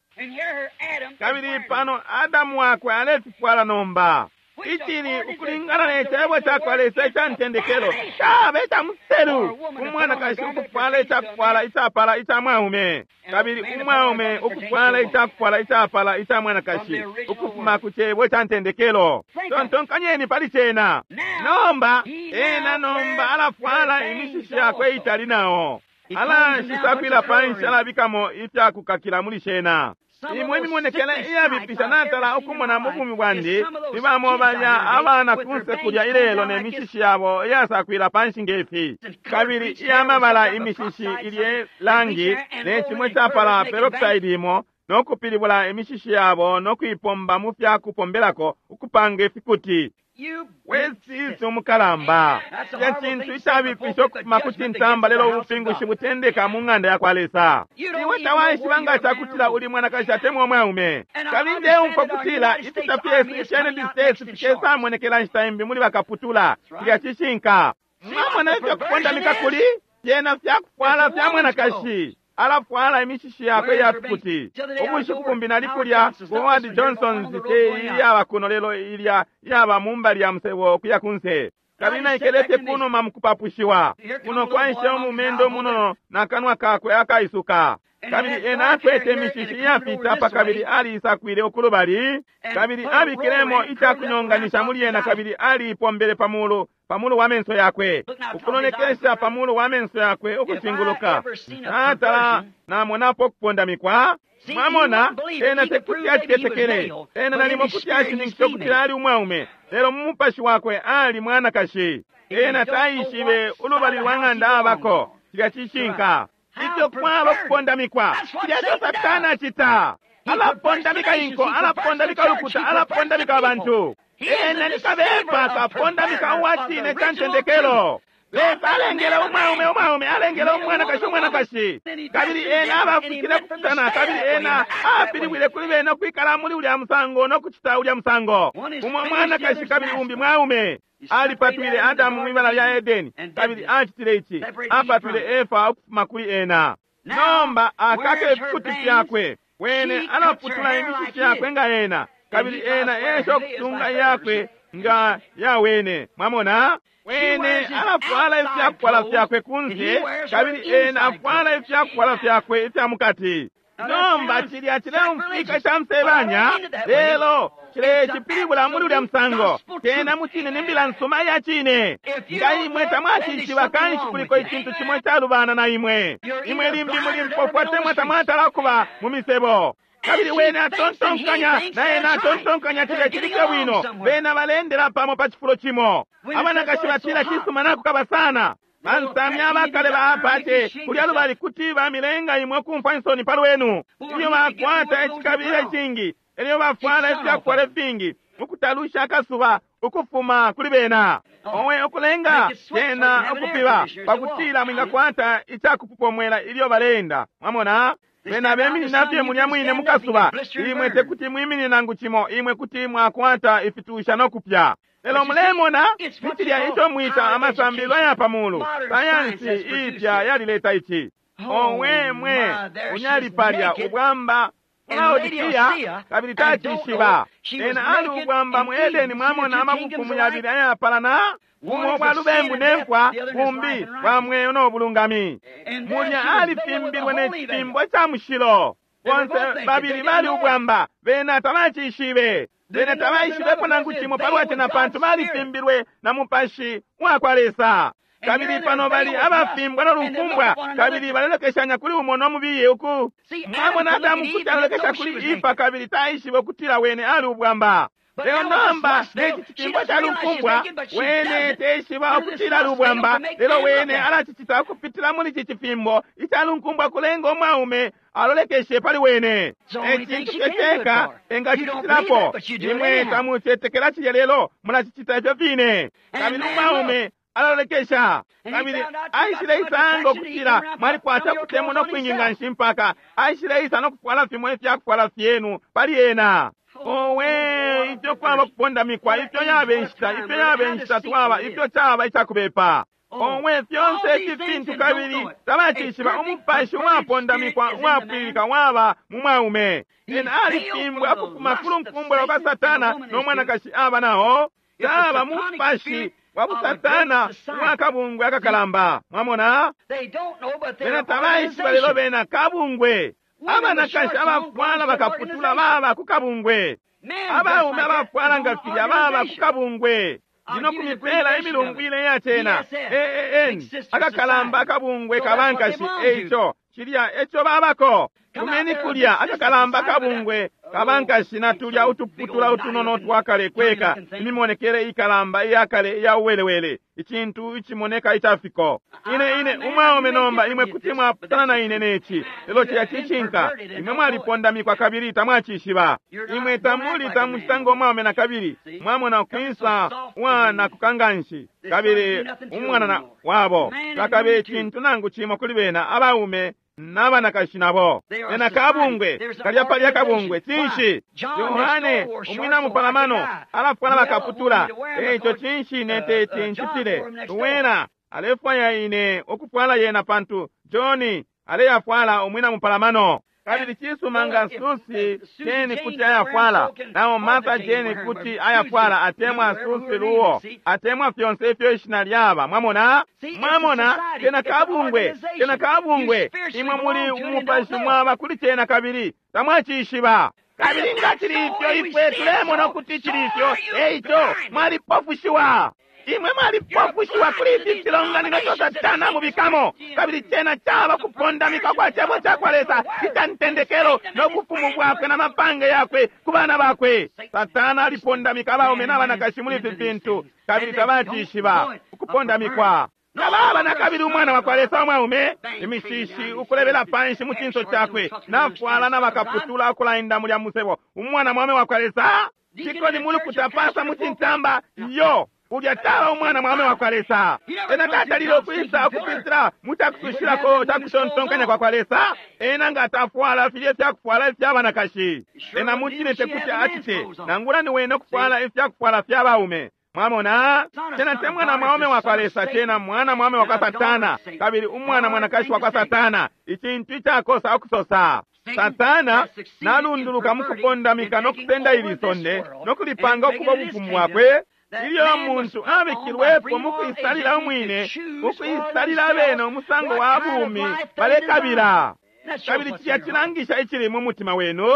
Kabili pano Adamu wakwe alefifwala nomba. Icili ukulingana ne cebo cakwa Lesa ica ntendekelo caba ica muselu umwanakashi ukufwala icakufwala icapala ica mwaume, kabili umwaume ukufwala icakufwala icapala ica mwanakashi, ukufuma ku cebo ca ntendekelo. Tontonkanyeni pali cena. Nomba ena nomba alafwala imishishi yakwe itali nao alashisakwila panshi, alabikamo ifyakukakila muli shena. Imwe imimonekele iyabipisha natala ukumona mu bumi bwandi ni bamo balya abana kunse kulya ilelo ne mishishi yabo iyasakwila panshi ngefi, kabili iyamabala imishishi ilye langi ne cimwe capala peroxide imo, no kupilibula imishishi yabo no kuipomba mu fya kupombelako ukupanga ifikuti. Wesisi umukalamba, cilya cintu icabipisha ukufuma ku cintamba, lelo ubupingushi butendeka mu ng'anda ya kwa Lesa. Iwe tawaishiba nga cakutila uli mwanakashi atemwa umwaume. Kabili ndeumfwa kutila ifita fyesu ifya United States fikesamonekela nshita imbi muli bakaputula. Cilya cishinka. Mwamona ifyo kupondamika kuli fyena fyakufwala fya mwanakashi. Alafwala imishishi yakwe iya fikuti. Ubushiku bumbi nali kulya ku Howard Johnson's te iyaba kuno lelo ilya iyaba mu mbali ya musebo ukuya kunse. Kabili naikele fye kunuma mu kupapushiwa. Kuno kwaishe umumendo munono na kanwa kakwe akaisuka. Kabili ena akwete imishishi iyafita apa kabili aliisakwile ukulubali, kabili abikilemo icakunyonganisha muli yena kabili aliipombele pamulu pamulu wa menso yakwe, ukulolekesha pamulu wa menso yakwe ukushinguluka. Natala namonapo kupondamikwa. Mwamona, ena tekuti acitetekele. Ena nalimo kuti ashininkisha ukutila ali umwaume, lelo mu mupashi wakwe ali mwanakashi. Ena taishibe ulubali lwa ng'anda abako. Cilya cishinka. Ifyo kwaba kupondamikwa, cilya ico Satana acita. Alapondamika inko, alapondamika ulukuta, alapondamika abantu. Ena ni kabepa, kapondamika uwa cine ca ntendekelo. Lesa alengele umwaume umwaume, alengele umwanakashi umwanakashi, kabili ena abafikile kupusana, kabili ena apilibwile kuli bena ukwikala muli ulya musango no kucita ulya musango. Umo mwanakashi kabili umbi mwaume. Alipatwile Adamu mwibala lya Edeni, kabili acitile ici, apatwile Efa ukufuma kuli ena. Nomba akake ifikuti fyakwe, wene alaputula imishishi yakwe nga ena, kabili ena esha ukusunga iyakwe nga yawene. Mwamona? Wene alafwala ifyakufwala fyakwe kunse, kabili ena afwala ifyakufwala fyakwe ifya mukati. Nomba cilya cileumfwika ca musebanya, lelo cilecipilibula muli ulya musango. Cena mucine ni mbila nsuma iya cine. Nga imwe tamwacishiba, kanshi kuliko icintu cimo icalubana na imwe. Imwe limbi muli mpofu atemwa tamwatala kuba mu misebo. Kabili wene atontonkanya na ena atontonkanya cilya cili fye bwino. Bena balendela pamo pa cifulo cimo. Abanakashi batila cisuma nakukaba sana. Bansamya abakale ba Apache kulya lubali kuti bamilenga imwe kumfwa insoni pa lwenu. Ilyo bakwata icikabilila icingi, elyo bafwala ifyakufwala ifingi, ukutalusha akasuba ukufuma kuli bena. Owe ukulenga cena ukupiba pakutila mwingakwata icakupupomwela ilyo baleenda. Mwamona? Bena beminina fye mulya mwine mukasuba. Imwe tekuti mwiminine nangu cimo, imwe kuti mwakwata ifitusha no kupya. Lelo mulemona ni cilya ico mwita amasambililo aya pamulu. Sayansi ipya yalileta ici. Owe mwe, unyali palya ubwamba Laodikia, kabili tacishiba. Ena ali ubwamba mu Edeni, mwamona amabufumu yabili ayapalana, bumo bwa lubembu ne mfwa, bumbi bwa mweo no bulungami. Mulya alifimbilwe ne cifimbo ca mushilo. Bonse babili bali ubwamba, bena tabacishibe. Bena tabaishibepo nangu cimo palwa cena pantu balifimbilwe na mupashi wa kwa Lesa. Kabili pano bali abafimbwa no lunkumbwa, kabili balelekeshanya kuli umo no mubiye uku. Mwamona Adamu kuti alolekesha kuli Efa kabili taishibe ukutila wene ali ubwamba. Lelo nomba neci cifimbo ca lunkumbwa, wene teshiba ukutila ali ubwamba, lelo wene alacicita ukupitila muli ci cifimbo ica lunkumbwa kulenga umwaume alolekeshe pali wene. Ecintu fye ceka engacicitilapo. Imwe tamucetekela cilya, lelo mulacicita ifyo fine. Kabili umwaume alalolekesha, kabili aishile isanga ukutila mwalikwata kutemwa no kwingi nga nshi mpaka aishile isa no kufwala fimwe ifyakufwala fyenu pali ena. Owe, ifyo kwaba kupondamikwa, ifyo yabe inshita, ifyo yabe inshita twaba, ifyo caba icakubepa. Owe, fyonse ifi fintu kabili tabacishiba. Umupashi uwapondamikwa uwapwilika waba mu mwaume. Ena alifimbwa ukufuma ku lunkumbwa lwa kwa Satana no mwanakashi aba nao. Caba mupashi wa busatana uwakabungwe akakalamba. Mwamona? Bena tabaishiba, lelo bena kabungwe. Abanakashi abafwala bakaputula baba ku kabungwe. Abaume abafwala nga filya baba ku kabungwe. Ndino kumipela imilungu ile iyacena. AAN akakalamba akabungwe kabankashi. Eico cilya eco babako. Kumeni kulya akakalamba akabungwe kabankashi na tulya utuputula utunono twakale kweka, imimonekele ikalamba iyakale iya uwelewele, icintu icimoneka icafiko. Ine ine umwaume nomba imwe kuti mwapusana na ine neci, lelo cilya cishinka. Imwe mwalipondamikwa kabili tamwacishiba. Imwe tamuli tamucita ngo mwaume na kabili. Mwamona ukwisa umwana kukanganshi kabili umwana wabo takabe icintu nangu cimo kuli bena abaume n'abanakashi nabo. Ena kabungwe kalya palya kabungwe cinshi? Yohane umwina mupalamano alafwala bakaputula. Eico cinshi ine teti ncitile? Luwena alefwaya ine ukufwala yena pantu John aleyafwala umwina mupalamano. Kabili cisuma nga Susie Jane kuti ayafwala, nao Martha Jane kuti ayafwala, atemwa Susie Luo, atemwa fyonse ifyo ishina lyaba. Mwamona? Mwamona, kena kabungwe, kena kabungwe. Imwe muli umupashi mwaba kuli cena kabili tamwacishiba. Kabili nga cili ifyo, ifwe tulemona ukuti cili ifyo, eico mwalipofushiwa. Imwe mwalipofushiwa kuli ifi filonganino ifyo Satana mubikamo, kabili cena caba kupondamika kwa cebo cakwa Lesa ica ntendekelo no bufumu bwakwe na mapange yakwe ku bana bakwe. Satana alipondamika abaume n'abanakashi muli ifi fintu, kabili tabacishiba ukupondamikwa. Tababa na kabili umwana wakwa Lesa umwaume, imishishi ukulebela panshi mu cinso cakwe, nafwala na bakaputula ukulaenda mulya musebo. Umwana mwaume wakwa Lesa cikoni mulukuta pasa mu cintamba yo ulya taba umwana mwaume wakwa Lesa. Ena tatalile ukwisa ukupitila mu cakusushilako ca kutontonkanya kwa kwa Lesa. Ena nga tafwala filye fyakufwala ifya banakashi, ena mucine tekuti acite nangula ni wene ukufwala ifyakufwala fya baume. Mwamona, cena te mwana mwaume wakwa Lesa, cena mwana mwaume wakwa Satana, kabili umwana mwanakashi wakwa Satana, icintu icakosa ukusosa. Satana nalunduluka mu kupondamika no kusenda ili sonde no kulipanga ukuba ubufumu bwakwe. Ilyo muntu abikilwepo mu kuisalila umwine, ukuisalila abene umusango wa bumi balekabila. Kabili cilya cilangisha icili mu mutima wenu.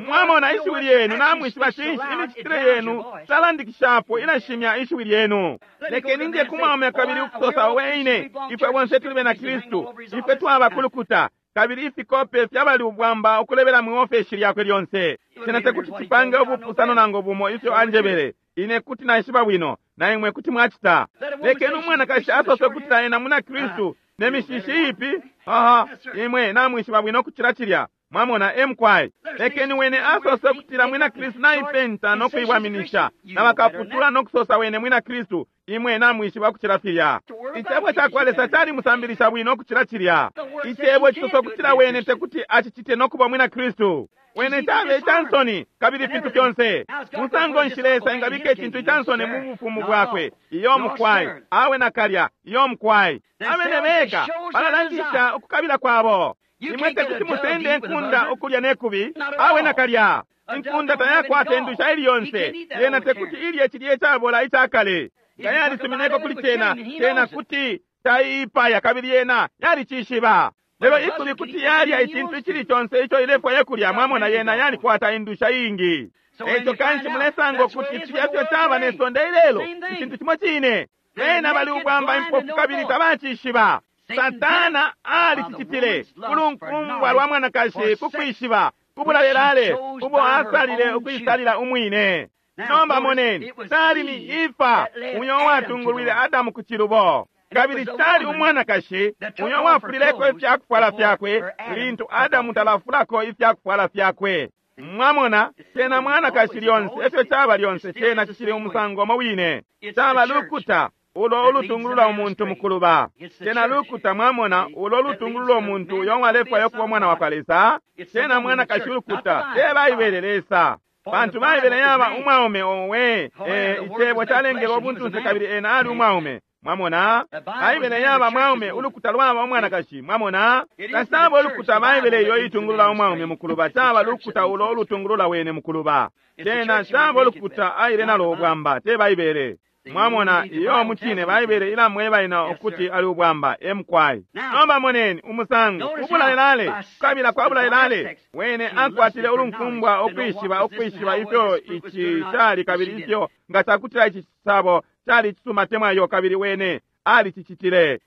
Mwamona ishiwi lyenu, namwishiba cinshi imicitile yenu talandikishapo ilashimya ishiwi lyenu. Lekeni nje kumwaume kabili ukusosa, owe ine, ifwe bonse tuli bena Kristu, ifwe twaba kulukuta, kabili ifikope fyabali ubwamba ukulebela mu ofeshi lyakwe lyonse. Cena tekuti cipange ubupusano nangu bumo ifyo anjebele. Ine kuti naishiba bwino, na imwe kuti mwacita. Lekeni umwanakashi asose ukutila ena muna Kristu ne mishishi ipi. Aha, imwe namwishiba bwino kucila cilya. Mwamona emkwai. Lekeni wene asose ukutila mwina Kristu naipenta no kuiwaminisha, na bakaputula no kusosa wene mwina Kristu. Imwe namwishiba kucila filya. Icebo cakwa Lesa cali musambilisha bwino kucila cilya. Icebo cisosa ukutila wene tekuti acicite no kuba mwina Kristu. Wene cabe icansoni kabili fintu fyonse. Musango nshi Lesa engabika icintu icansoni mu bufumu bwakwe? Iyo mukwai, awe nakalya, iyo mukwai. Abene beka balalangisha ukukabila kwabo. Imwe tekuti musende inkunda ukulya nekubi, awe nakalya. Inkunda tayakwata indusha ili yonse, yena tekuti ilye cilye cabola icakale. Nga yalisumineko kuli cena, cena kuti taiipaya kabili yena yalicishiba. Lelo ikubi kuti yalya icintu icili conse ico ilefwaya kulya, mwamona yena yalikwata indusha iingi. Eico kanshi mulesanga ukuti filya fyo caba ne sonde ilelo, icintu cimo cine. Bena bali ubwamba impofu kabili tabacishiba. Satana alicicitile kulunkumbwa lwa mwanakashi ku kwishiba kubulalelale ubo asalile ukuisalila umwine. Nomba moneni, tali ni Efa uyo watungulwile Adamu ku cilubo, kabili tali umwanakashi uyo wafulileko ifyakufwala fyakwe lintu Adamu talafulako ifyakufwala fyakwe. Mwamona, cena mwanakashi lyonse, efyo caba lyonse, cena cicili umusango umo wine. Caba lukuta ulo ulutungulula umuntu mukuluba. Cena lukuta, mwamona, ulo ulutungulula umuntu uyo walefwaya kuba umwana wakwa Lesa. Cena mwanakashi ulukuta, te Baibele Lesa. Pantu Baibele yaba umwaume owe, icebo calengele ubuntunse kabili ena ali umwaume. Mwamona, Baibele yaba mwaume, ulukuta lwaba umwanakashi. Mwamona, tasaba ulukuta Baibele iyo itungulula umwaume mukuluba, caba lukuta ulo ulutungulula wene mukuluba. Cena caba ulukuta aile nalo ubwamba, te Baibele. Mwamona, iyo mucine Baibele ilamweba ina ukuti ali ubwamba emkwai. Nomba moneni umusango ubulalelale kukabila kwa bulalelale wene akwatile ulunkumbwa ukwishiba ukwishiba ifyo ici cali kabili ifyo nga cakutila ici cisabo cali cisuma temwayo kabili wene alicicitile.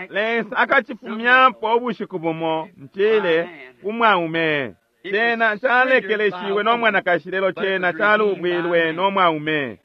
Lesa akacifumyapo ubushiku bumo ntile kumwaume. Cena calekeleshiwe no mwanakashi lelo cena calubwilwe no mwaume.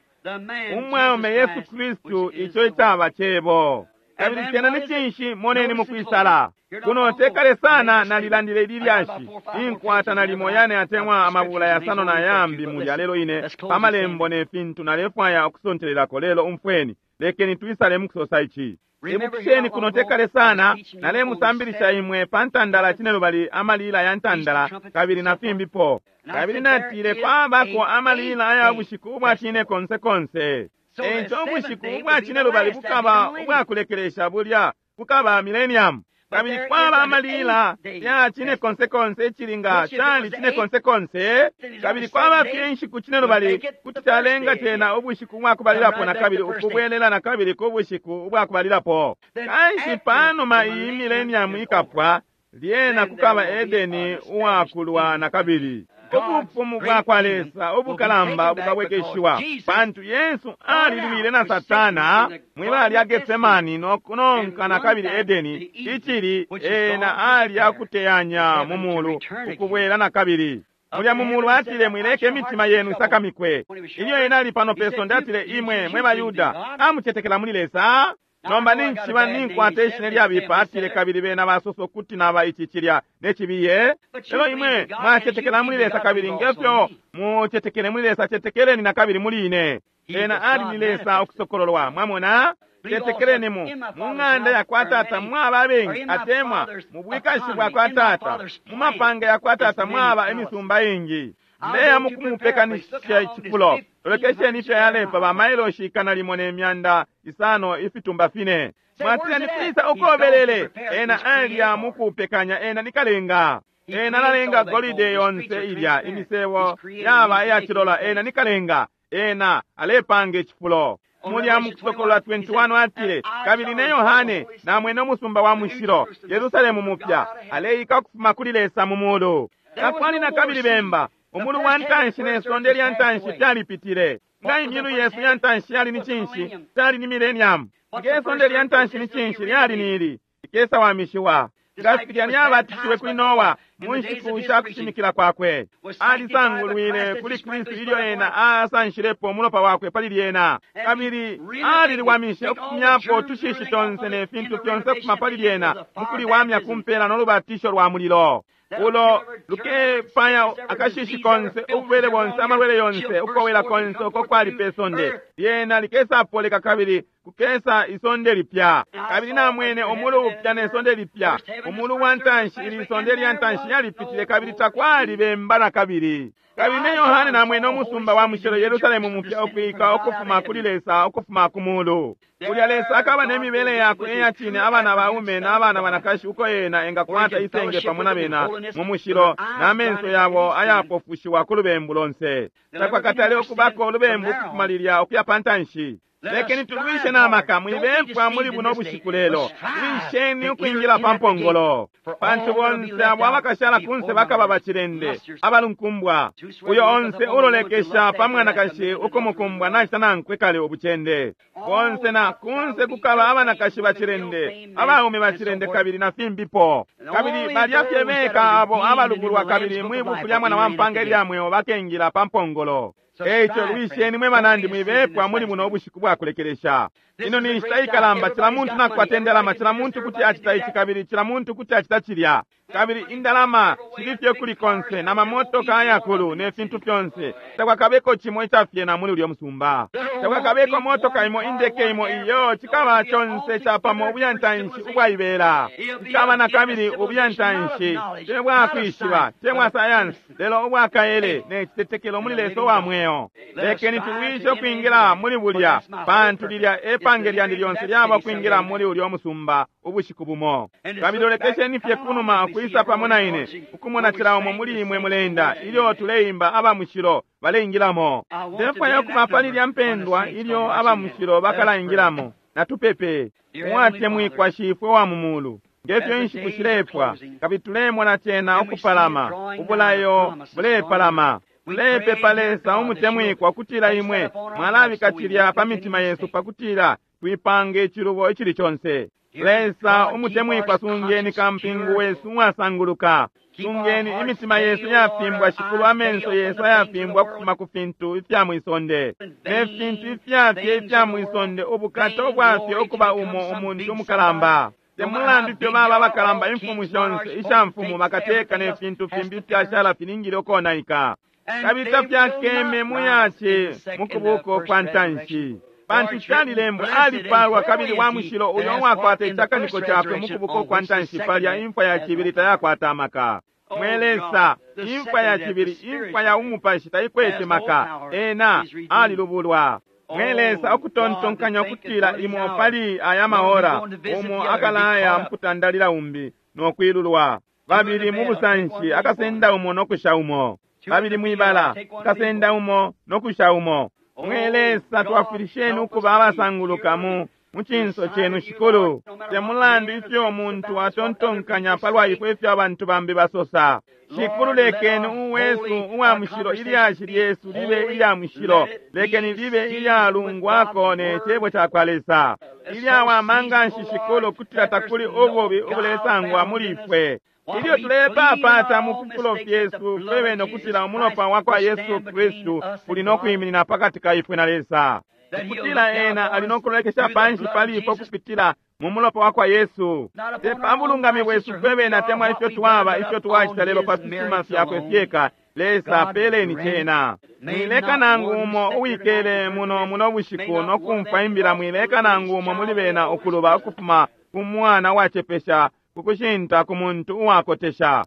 Umwaume Yesu Kristu, ico icaba cebo. Kabili cena ni cinshi? Moneni mukwisala kuno tekale sana nalilandile ili lyashi inkwata nalimo yane atemwa amabula yasano na yambi mulya lelo ine pamalembo ne fintu nalefwaya ukusontelelako lelo umfweni lekeni twisale mukusosa ici. Ibukisheni kuno tekale sana nalemusambilisha imwe pa ntandala cinelubali amalila ya ntandala kabili na fimbipo. Kabili natile kwabako amalila aya bushiku ubwa cine konse konse. Eico ubushiku ubwa cinelubali bukaba ubwakulekelesha bulya bukaba millennium. Kabili kwaba amalila ya cine konse konse icili nga cali cine konse konse, kabili kwaba fye inshiku cine lubali, kuti calenga cena ubushiku ubwakubalilapo nakabili ukubwelela nakabili ku bushiku ubwakubalilapo. Kanshi panuma iyi millennium ikapwa, lyena kukaba Edeni uwakulwa nakabili. Ubufumu bwakwa Lesa ubukalamba bukabwekeshiwa, pantu Yesu alilwile na Satana mwibala lya Getsemani no kunonka nakabili Edeni, icili ena ali akuteyanya mu mulu ukubwela nakabili. Mulya mu mulu atile, mwileke imitima yenu isakamikwe. Ilyo ena ali pano pe sonde atile, imwe mwe baYuda amucetekela muli Lesa. Nomba ninchiba ninkwata ishina lyabipa, atile, kabili bena basosa ukuti naba ici cilya ne cibiye. Lelo imwe mwacetekela muli Lesa, kabili ngefyo mucetekele muli Lesa, cetekeleni na kabili muli ine. Ena ali ni Lesa ukusokololwa, mwamona. Cetekeleni mu ng'anda yakwa Tata mwaba abengi, atemwa mu bwikashi bwakwa Tata, mu mapanga yakwa Tata mwaba imisumba ingi. Ndeya mukumupekanisha icifulo. Lolekesheni ifyo yalepa ba mailoshi 105 ifitumba 4. Mwatila ni kwisa ukobelele? Ena alya mukupekanya, ena ni kalenga. Ena alalenga golide yonse ilya imisebo yaba iyacilola, ena ni kalenga. Ena alepanga icifulo. Mulya mukusokolola 21 atile, kabili ne Yohane namwene umusumba wa mushilo Yerusalemu mupya aleika ukufuma kuli Lesa mu mulu. Takwali na kabili bemba. Umulu wa ntanshi ne sonde lya ntanshi fyalipitile. Nga imyulu yesu ya ntanshi yali ni cinshi? Cali ni millennium. Nge sonde lya ntanshi ni cinshi? Lyali ni ili ikesa wamishiwa. Nga filya lyabatishiwe kuli Noa mu nshiku sha kushimikila kwakwe, alisangulwile kuli Kristu ilyo ena asanshilepo umulopa wakwe pali lyena, kabili aliliwamishe ukufumyapo tushishi tonse ne fintu fyonse ukufuma pali lyena mukuliwamya kumpela no lubatisho lwa mulilo. Ulo lukepaya akashishi konse, ubulwele bonse, amalwele yonse, ukowela konse uko kwali pe sonde, lyena likesapoleka kabili kukesa isonde lipya. Kabili namwene umulu upya ne sonde lipya. Umulu wa ntanshi, ili sonde lya ntanshi yalipitile, kabili takwali bemba na kabili. Kabili ne Yohane namwene umusumba wa mushilo Yerusalemu mupya ukwika ukufuma kuli Lesa ukufuma ku mulu. Kulya Lesa akaba ne mibele yakwe iyacine, abana baume na abana banakashi, uko ena engakwata isenge pamo na bena mu mushilo, na menso yabo ayapofushiwa ku lubembu lonse. Takwakatale ukubako ulubembu ukufuma lilya ukuya pa ntanshi. Lekeni tulwishe na maka, mwibepwa muli buno bushiku lelo. Lwisheni ukwingila pa mpongolo, pantu bonse abo abakashala kunse bakaba bacilende abalunkumbwa. Uyo onse ulolekesha pa mwanakashi ukumukumbwa nacita nankwe kale ubucende. Bonse na kunse kukaba abanakashi bacilende, abaume bacilende, kabili na fimbipo. Kabili balya fye beka abo abalubulwa kabili mwibuku lya mwana wa mpanga ilya mweo bakengila pa mpongolo. Eico lwisheni mwe banandi, mwibepwa muli buno ubushiku bwakulekelesha. Ino ni nshita ikalamba, cila muntu nakwata indalama, cila muntu kuti acita ici kabili cila muntu kuti acita cilya. Kabili indalama shili fye kuli konse, na mamotoka ayakulu ne fintu fyonse. Takwakabeko cimo icafyena muli ulyo musumba. Takwakabeko motoka imo, indeke imo, iyo cikaba conse capamo ubuyantanshi ubwaibela. Cikaba na kabili ubuyantanshi te bwakwishiba, te bwa sayansi, lelo ubwakaele ne citetekelo muli Lesa wa mweo. Lekeni tulwishe ukwingila muli bulya, pantu lilya epange lyandi lyonse lyaba ukwingila muli ulyo musumba ubushiku bumo. Kabili lolekesheni fye kunuma ukwisa pamo na ine, ukumona cila umo muli imwe mulenda ilyo tuleimba aba mushilo baleingilamo. Ndefwaya ukuba pali lya mpendwa ilyo aba mushilo bakalaingilamo. Natupepe. Uwatemwikwa Shifwe wa mu mulu, ngefyo inshiku shilepwa, kabili tulemona cena ukupalama, ubulayo bulepalama. Tulepepa Lesa umutemwikwa kutila imwe mwalabika cilya pa mitima yesu pakutila twipange icilubo icili conse. Lesa umutemwikwa, sungeni kampingu wesu uwasanguluka. Sungeni imitima yesu yafimbwa, Shikulu, amenso yesu ayafimbwa kufuma ku fintu ifya mwisonde ne fintu ifyafye ifya mwisonde, ubukata ubwafye ukuba umo umuntu umukalamba. Temulandu ifyo baba abakalamba, imfumu shonse ishamfumu bakateka ne fintu fimbi ifyashala filingile ukonaika. Kabili tafyakeme muyace mukubuko kwa ntanshi, pantu calilembwa, alipalwa kabili wa mushilo uyo uwakwata icakaniko cakwe mukubuko kwa ntanshi palya imfwa ya cibili tayakwata amaka. Mwe Lesa, imfwa ya cibili, imfwa ya umupashi taikwete maka, ena alilubulwa. Mwe Lesa, ukutontonkanya ukutila imo pali aya mahora umo akalaya mukutandalila umbi no kwilulwa, babili mu busanshi akasenda umo no kusha umo, babili mwibala akasenda umo no kusha umo. Mwe Lesa, twafwilisheni ukuba abasanguluka mu cinso cenu Shikulu. Te mulandu ifyo umuntu atontonkanya palwa ifwe, ifyo abantu bambi basosa, Shikulu, lekeni uwesu uwa mushilo ilyashi lyesu libe ilya mushilo, lekeni libe ilyalungwako ne cebo cakwa Lesa, ilyawama nganshi Shikulu, kutila takuli ububi ubulesangwa muli ifwe. Ilyo tulepapata mu fifulo fyesu fwebene ukutila umulopa wa kwa Yesu Kristu uli no kwiminina pakati ka ifwe na Lesa, ukutila ena ali no kulolekesha panshi pali ifwe kupitila mu mulopa wa kwa Yesu. Te pa bulungami bwesu fwebene atemwa ifyo twaba, ifyo twacita, lelo pa fisuma fyakwe fyeka. Lesa, peleni cena. Mwileka nangu umo uwikele muno muno bushiku no kumfwa imbila, mwileka nangu umo muli bena ukuluba ukufuma ku mwana wacepesha kukushinta ku muntu uwakotesha.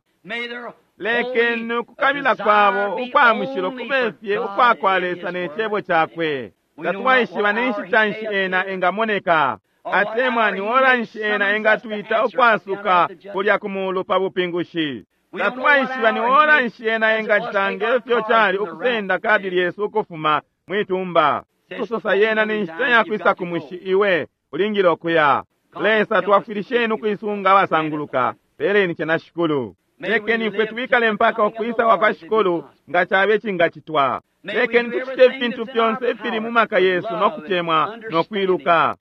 Lekeni ukukabila kwabo ukwa mushilo kube fye ukwa kwa Lesa ne cebo cakwe. Tatwaishiba ni nshita nshi ena engamoneka, atemwa ni ora nshi ena engatwita ukwasuka kulya ku mulu pa bupingushi. Tatwaishiba ni ora nshi ena engacita ngefyo cali ukusenda kadi lyesu ukufuma mwitumba. Kusosa yena ni nshita ya kwisa ku mushi, iwe ulingile ukuya. Lesa, twafwilisheni ukuisunga abasanguluka. Peleni cena Shikulu. Lekeni ifwe twikale mpaka ukwisa kwa kwa Shikulu nga cabe cingacitwa. Lekeni tucite ifintu fyonse ifili mu maka yesu no kutemwa no kwiluka,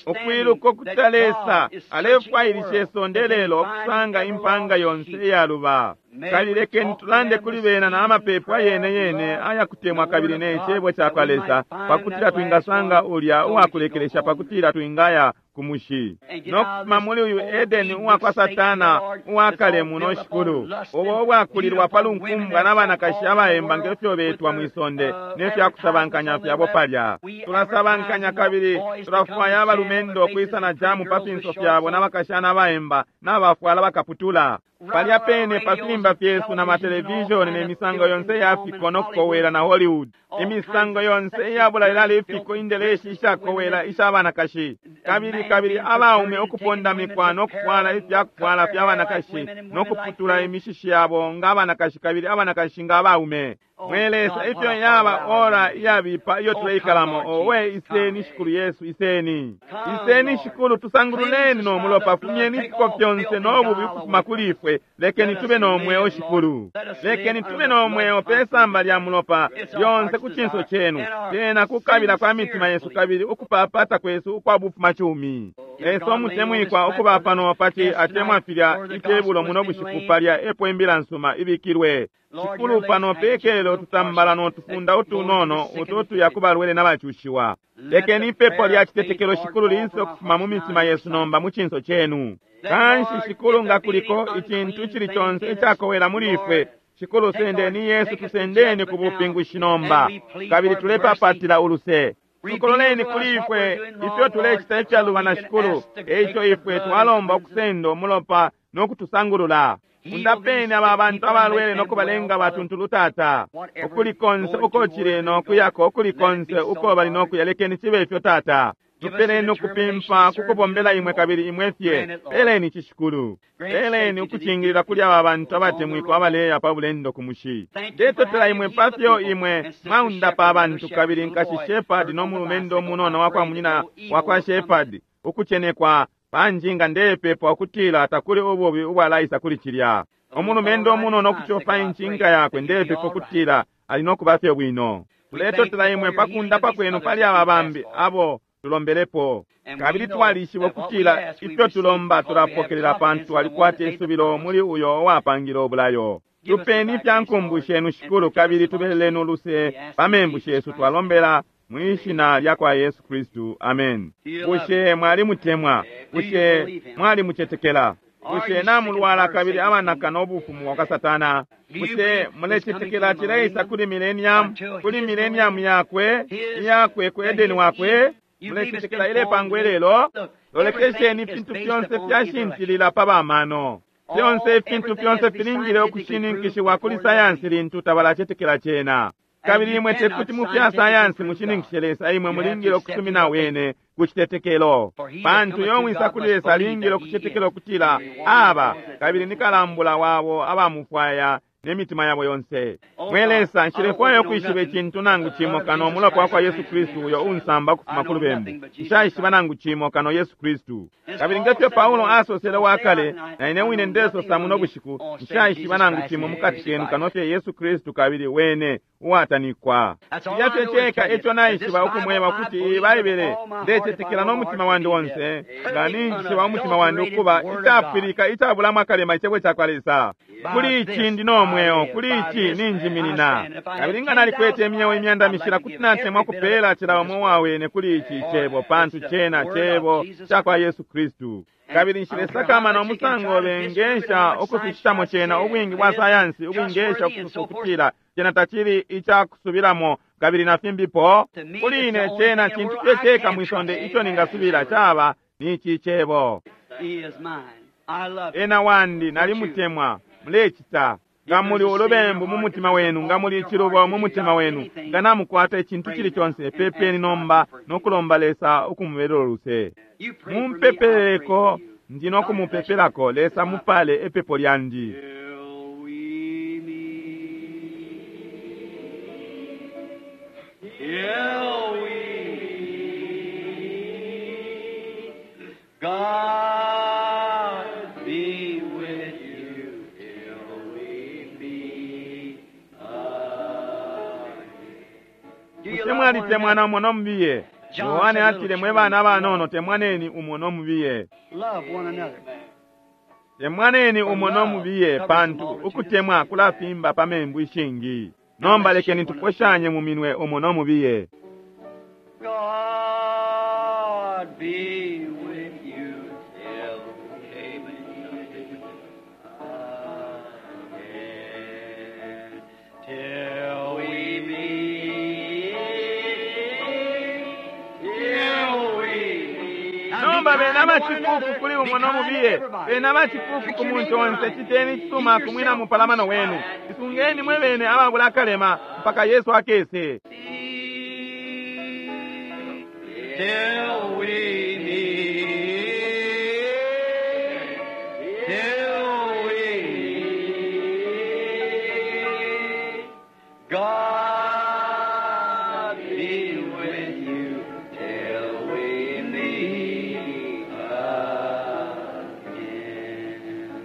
ukwiluka ukutila Lesa alefwailisha isonde lelo ukusanga impanga yonse iyaluba. Kabili lekeni tulande kuli bena na amapepo ayene yene ayakutemwa kabili ne cebo cakwa Lesa, pakutila twingasanga ulya uwakulekelesha, pakutila twingaya ku mushi no kufuma muli uyu Edeni uwakwa Satana uwakale muno Shikulu, ubo ubwakulilwa pa lunkumbwa na banakashi abaemba ngefyo betwa mwisonde ne fya kusabankanya fyabo palya. Tulasabankanya kabili tulafwaya abalumendo ukwisa na jamu pa finso fyabo na bakashana abaemba na bafwala bakaputula palya pene pa filimba fyesu na matelevishoni ne misango yonse ya fiko no kukowela na Hollywood, imisango yonse iyabula ifiko, indeleshi ishakowela isha banakashi, kabili kabili abaume ukupondamikwa no kufwala ifya kufwala fya banakashi no kuputula imishishi yabo nga abanakashi kabili abanakashi nga abaume. Mwe Lesa, ifyo yaba ora iyabipa iyo tuleikalamo! Owe, iseni Shikulu Yesu, iseni, iseni Shikulu, tusangululeni no mulopa, fumyeni ifiko fyonse no bubi ukufuma kuli ifwe. Lekeni tube no mweo Shikulu, lekeni tube no mweo pe samba lya mulopa lyonse ku cinso cenu, tena kukabila kwa mitima yesu kabili ukupapata kwesu ukwa bufumacumi. Lesa umutemwikwa, ukuba pano paci atemwa filya itebulo muno bushiku palya epo imbila nsuma ibikilwe. Shikulu, pano pekelo tutambala no tufunda utunono uto tuya ku balwele n'abacushiwa. Lekeni ipepo lya citetekelo Shikulu liise ukufuma mu mitima yesu nomba mu cinso cenu. Kanshi Shikulu, nga kuliko icintu icili conse icakowela muli ifwe, Shikulu, sendeni Yesu, tusendeni ku bupingushi nomba, kabili tulepapatila uluse. Tukololeni kuli ifwe ifyo tulecita ifyalubana Shikulu, eico ifwe twalomba ukusenda umulopa no kutusangulula. Undapeni aba bantu abalwele no kubalenga batuntulu Tata, ukuli konse uko cili no kuyako, ukuli konse uko bali no kuya, lekeni cibe ifyo Tata. Tupeleni ukupimpa kukubombela imwe kabili imwe fye. Peleni ici Shikulu, peleni ukucingilila kuli aba bantu abatemwikwa abaleya pa bulendo ku mushi. Ndetotela imwe pafyo imwe mwaundapa abantu, kabili nkashi Shepherd no mulumendo munono wakwa munyina wakwa Shepherd ukucenekwa panjinga, ndepepa ukutila takuli ububi ubwalaisa kuli cilya. Umulumendo munono ukucofa incinga yakwe, ndepepa ukutila ali no kuba fye bwino. Tuletotela imwe pakundapa kwenu pali aba bambi abo tulombelepo, kabili twalishiba ukutila ifyo tulomba tulapokelela, pantu twalikwata isubilo muli uyo uwapangile ubulayo. Tupeni ifya nkumbu shenu Shikulu, kabili tubeleleni uluse pa membu shesu, twalombela mwishina lya kwa Yesu Kristu, amen. Bushe mwalimutemwa? Bushe mwalimucetekela? Bushe namulwala kabili abanaka no bufumu bwa kwa Satana? Bushe mulecetekela cileisa kuli millennium, kuli millennium yakwe iyakwe ku Edeni wakwe? Mulecetekela ilepangwe lelo? Lolekesheni, ifintu fyonse fyashintilila pa bamano. Fyonse ifintu fyonse filingile ukushininkishiwa kuli sayansi lintu tabalacetekela cena. Kabili imwe tekuti mu fya sayansi mushininkishe Lesa, imwe mulingile ukusumina wene ku citetekelo. Pantu uyo wisa kuli Lesa alingile ukucetekela ukutila aba, kabili ni kalambula wabo abamufwaya ne mitima yabo yonse. Mwe Lesa, nshilefwaya ukwishiba icintu nangu cimo kano umulopa wakwa Yesu Kristu uyo unsamba ukufuma ku lubembu. Nshaishiba nangu cimo kano Yesu Kristu. Kabili ngefyo Paulo asosele wakale, na ine wine ndesosa muno bushiku, nshaishiba nangu cimo mukati kenu kano fye Yesu Kristu kabili wene uwatanikwa. Cilya fye ceka eco naishiba ukumweba ukuti iyi Baibele ndecetekela no mutima wandi onse, nga ninjishiba umutima wandi ukuba icapwilika icabulamo akalema icebo cakwa Lesa. Kuli ici ndi no mweo, kuli ici ninjiminina. Kabili nga nalikwete imyeo imyanda mishila, kuti natemwa kupela cila umo wawene kuli ici icebo, pantu cena cebo cakwa Yesu Kristu. Kabili nshilesakamana umusango bengesha ukuficitamo cena, ubwingi bwa sayansi ubwingesha ukusosa ukutila cena tacili icakusubilamo kabili na fimbipo. Kuli ine cena cintu fye ceka mwisonde ico ningasubila caba ni ici cebo. Ena wandi, nalimutemwa. Mulecita. Nga muli ulubembu mu mutima wenu, nga muli icilubo mu mutima wenu, nga namukwata icintu cili conse, pepeni nomba no kulomba Lesa ukumubelela uluse. Mumpepeleko, ndi no kumupepelako. Lesa mupale epepo lyandi. Till we meet, God be with you till we meet again. Do you Bushe love one mwalitemwana another? umo no mubiye? Yohane atile, mwe bana abanono temwaneni umo no mubiye. Love one another. Temwaneni umo no mubiye, pantu ukutemwa kulafimba pa membu ishingi. Nomba lekeni tuposhanye mu minwe umo no mubiye. God be with you till we meet again. Till we meet, till we meet. Nomba bena abacikuku kuli umo no mubiye, bena abacikuku ku muntu onse, citeni icisuma ku mwina mupalamano wenu. Isungeni mwe bene ababula akalema mpaka Yesu akese. Till we meet, till we meet, God be with you till we meet again.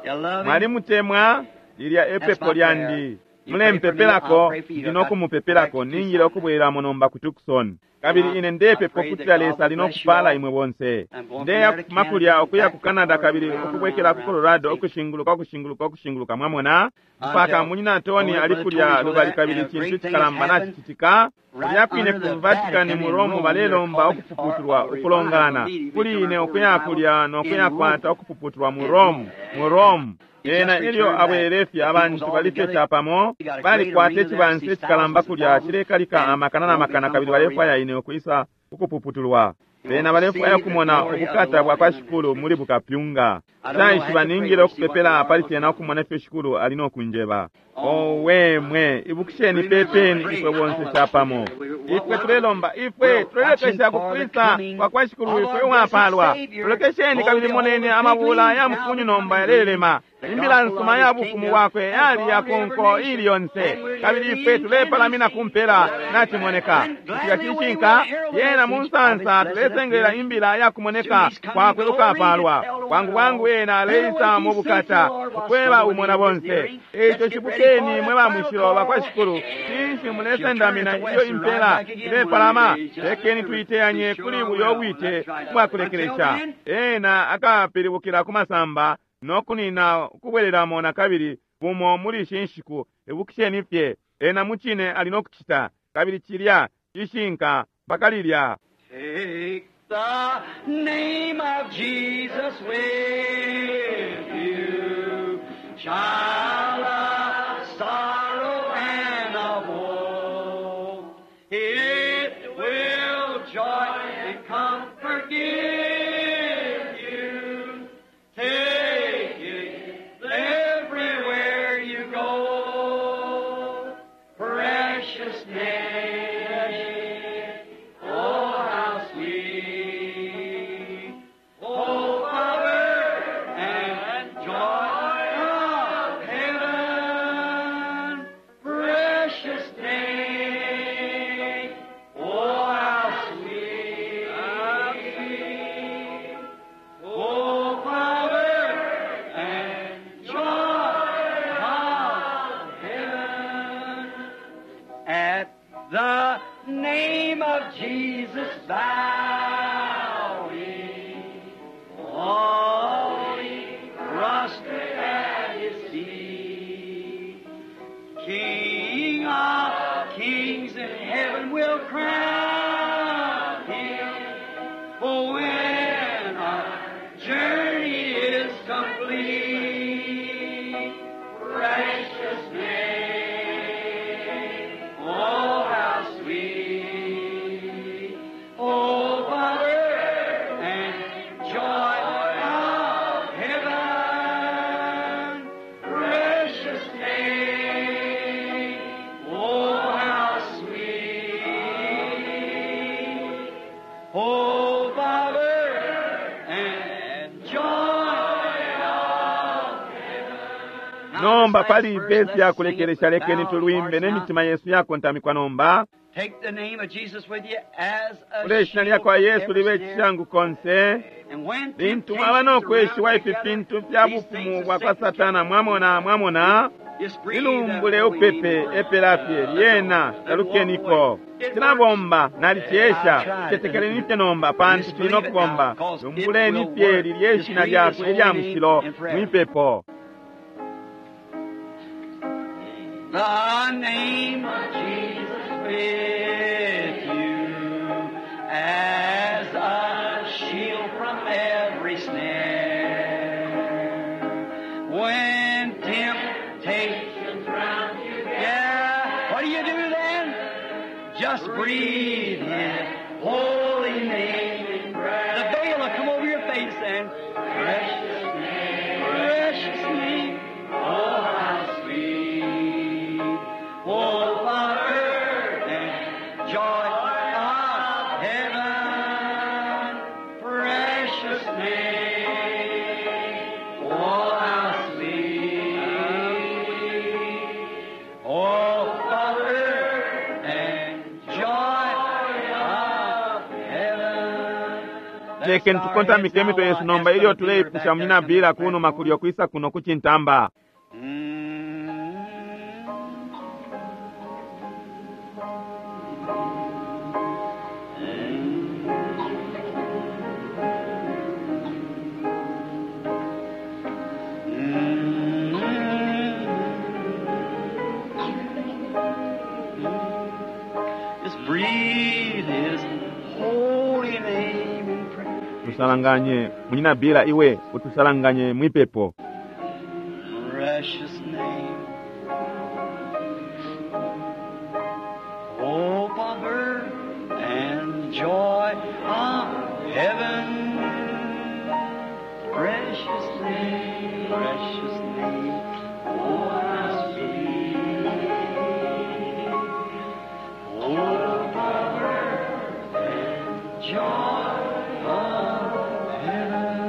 You love him? Mwalimutemwa, lilya epepo lyandi. Mulempepelako, ndi no kumupepelako, ningile ukubwereramo nomba ku Tucson. Kabili ine ndepepa ukutila Lesa ali no kupala imwe bonse. Ndeya kufuma kulya ukuya ku Canada kabili ukubwekela ku Colorado, ukushinguluka, ukushinguluka, ukushinguluka, mwamona? Mpaka munyina Tony ali kulya lubali kabili icintu cikalamba nacicitika. Kulya kwine ku Vatican mu Rome balelomba ukupuputulwa ukulongana. Kuli ine ukuya kulya no kuya kwata ukupuputulwa mu Rome, mu Rome. Ena ilyo abwelele fye abantu balifye capamo, balikwata icibansa icikalamba kulya cilekalika amakana na makana kabili balefwaya ine ukwisa ukupuputulwa. Bena balefwaya ukumona ubukata bwa kwa Shikulu muli bukapyunga. Nshaishiba ningile ukupepela pali cena ukumona ifyo Shikulu ali no kunjeba. Owe mwe, ibukisheni pepeni ifwe bonse capamo. Ifwe tulelomba, ifwe tulelekesha kukwisa kwa kwa Shikulu ifwe uwapalwa. Tulekesheni kabili moneni amabula ya mukunyu nomba yalelema. Imbila nsuma ya bufumu bwakwe yali ya kunko ili yonse. Kabili ifwe tulepalamina kumpela nacimoneka. Kutika cishinka, yena mu nsansa tulesengelela imbila ya kumoneka kwakwe ukapalwa. Bwangu bwangu yena aleisa mu bukata, ukweba umo na bonse. Eico shibukeni mwe ba mushilo ba kwa Shikulu, cinshi mulesendamina ilyo impela ilepalama? Lekeni tuiteyanye kuli buyo bwite ubwakulekelesha. Ena akapilibukila ku masamba no kunina ukubwereramo na kabili bumo muli ishi nshiku. Ibukisheni fye, ena mucine ali no kucita, kabili cilya cishinka mpaka lilya. Take the name of Jesus with you, child of sorrow and of woe. It will joy and comfort give you. Take it everywhere you go. prostrate at his feet. King of kings in heaven will crown him. Oh, when our journey is complete, precious name, oh, how sweet, oh, Father, and joy of heaven, precious name, oh, how sweet. Oh, Father, and joy of heaven. Nomba pali ivesi yakulekelesha lekeni tulwimbe n'emitima yesu yakontamikwa nomba. Take the name of Jesus with you as a Kule ishina shield lya kwa from Yesu every libe snare. cishangu konse. And when Lintu mwaba n'okweshiwa temptations ifi round fintu together, fya these bufumu things of bwa kwa Satan Satana mwamona mwamona just breathe that lilumbule holy upepe name. epelafye lyena talukeniko cinabomba nalicyesha cetekeleni fye nomba pantu cili nokubomba lumbuleni fye lilye ishina lyakwe ilya mushilo mwipepo. The name of Jesus with you as a shield from every snare. When temptations round you yeah, what do you do then? Just breathe His holy name in prayer. The veil will come over your face and precious name, precious name, oh how sweet, oh Father and joy of heaven, precious name, oh how sweet, oh Father and joy of heaven. Lekeni tukontamike emitwe yesu nomba ilyo tuleipusha munyina Bila kunuma kulyo kwisa kuno kucintamba. Just breathe His holy name in prayer. Tusalanganye munyina Bila iwe utusalanganye mwipepo. Precious name. Hope of earth and joy of heaven. Precious name, precious name. Oh, how sweet. Hope of earth and joy of heaven.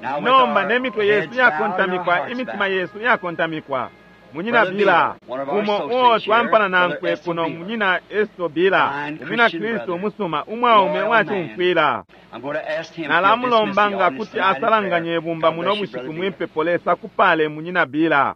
Now with Nomba our n'emitwe yesu heads bowed and our yakontamikwa hearts imitima bowed. yesu yakontamikwa. Munyina Brother Bila Bila, one of our umo associates uo twampana here, nankwe Brother kuno Eston Bila. munyina Esto Bila Fine umwina Christian Kristu brother, umusuma umwaume loyal uwacumfwila. I'm going to ask him if he'll dismiss the Nalamulomba nga audience kuti tonight in asalanganye prayer. ibumba God muno bless you, bushiku Brother Bila. mwipepo Lesa kupale munyina Bila.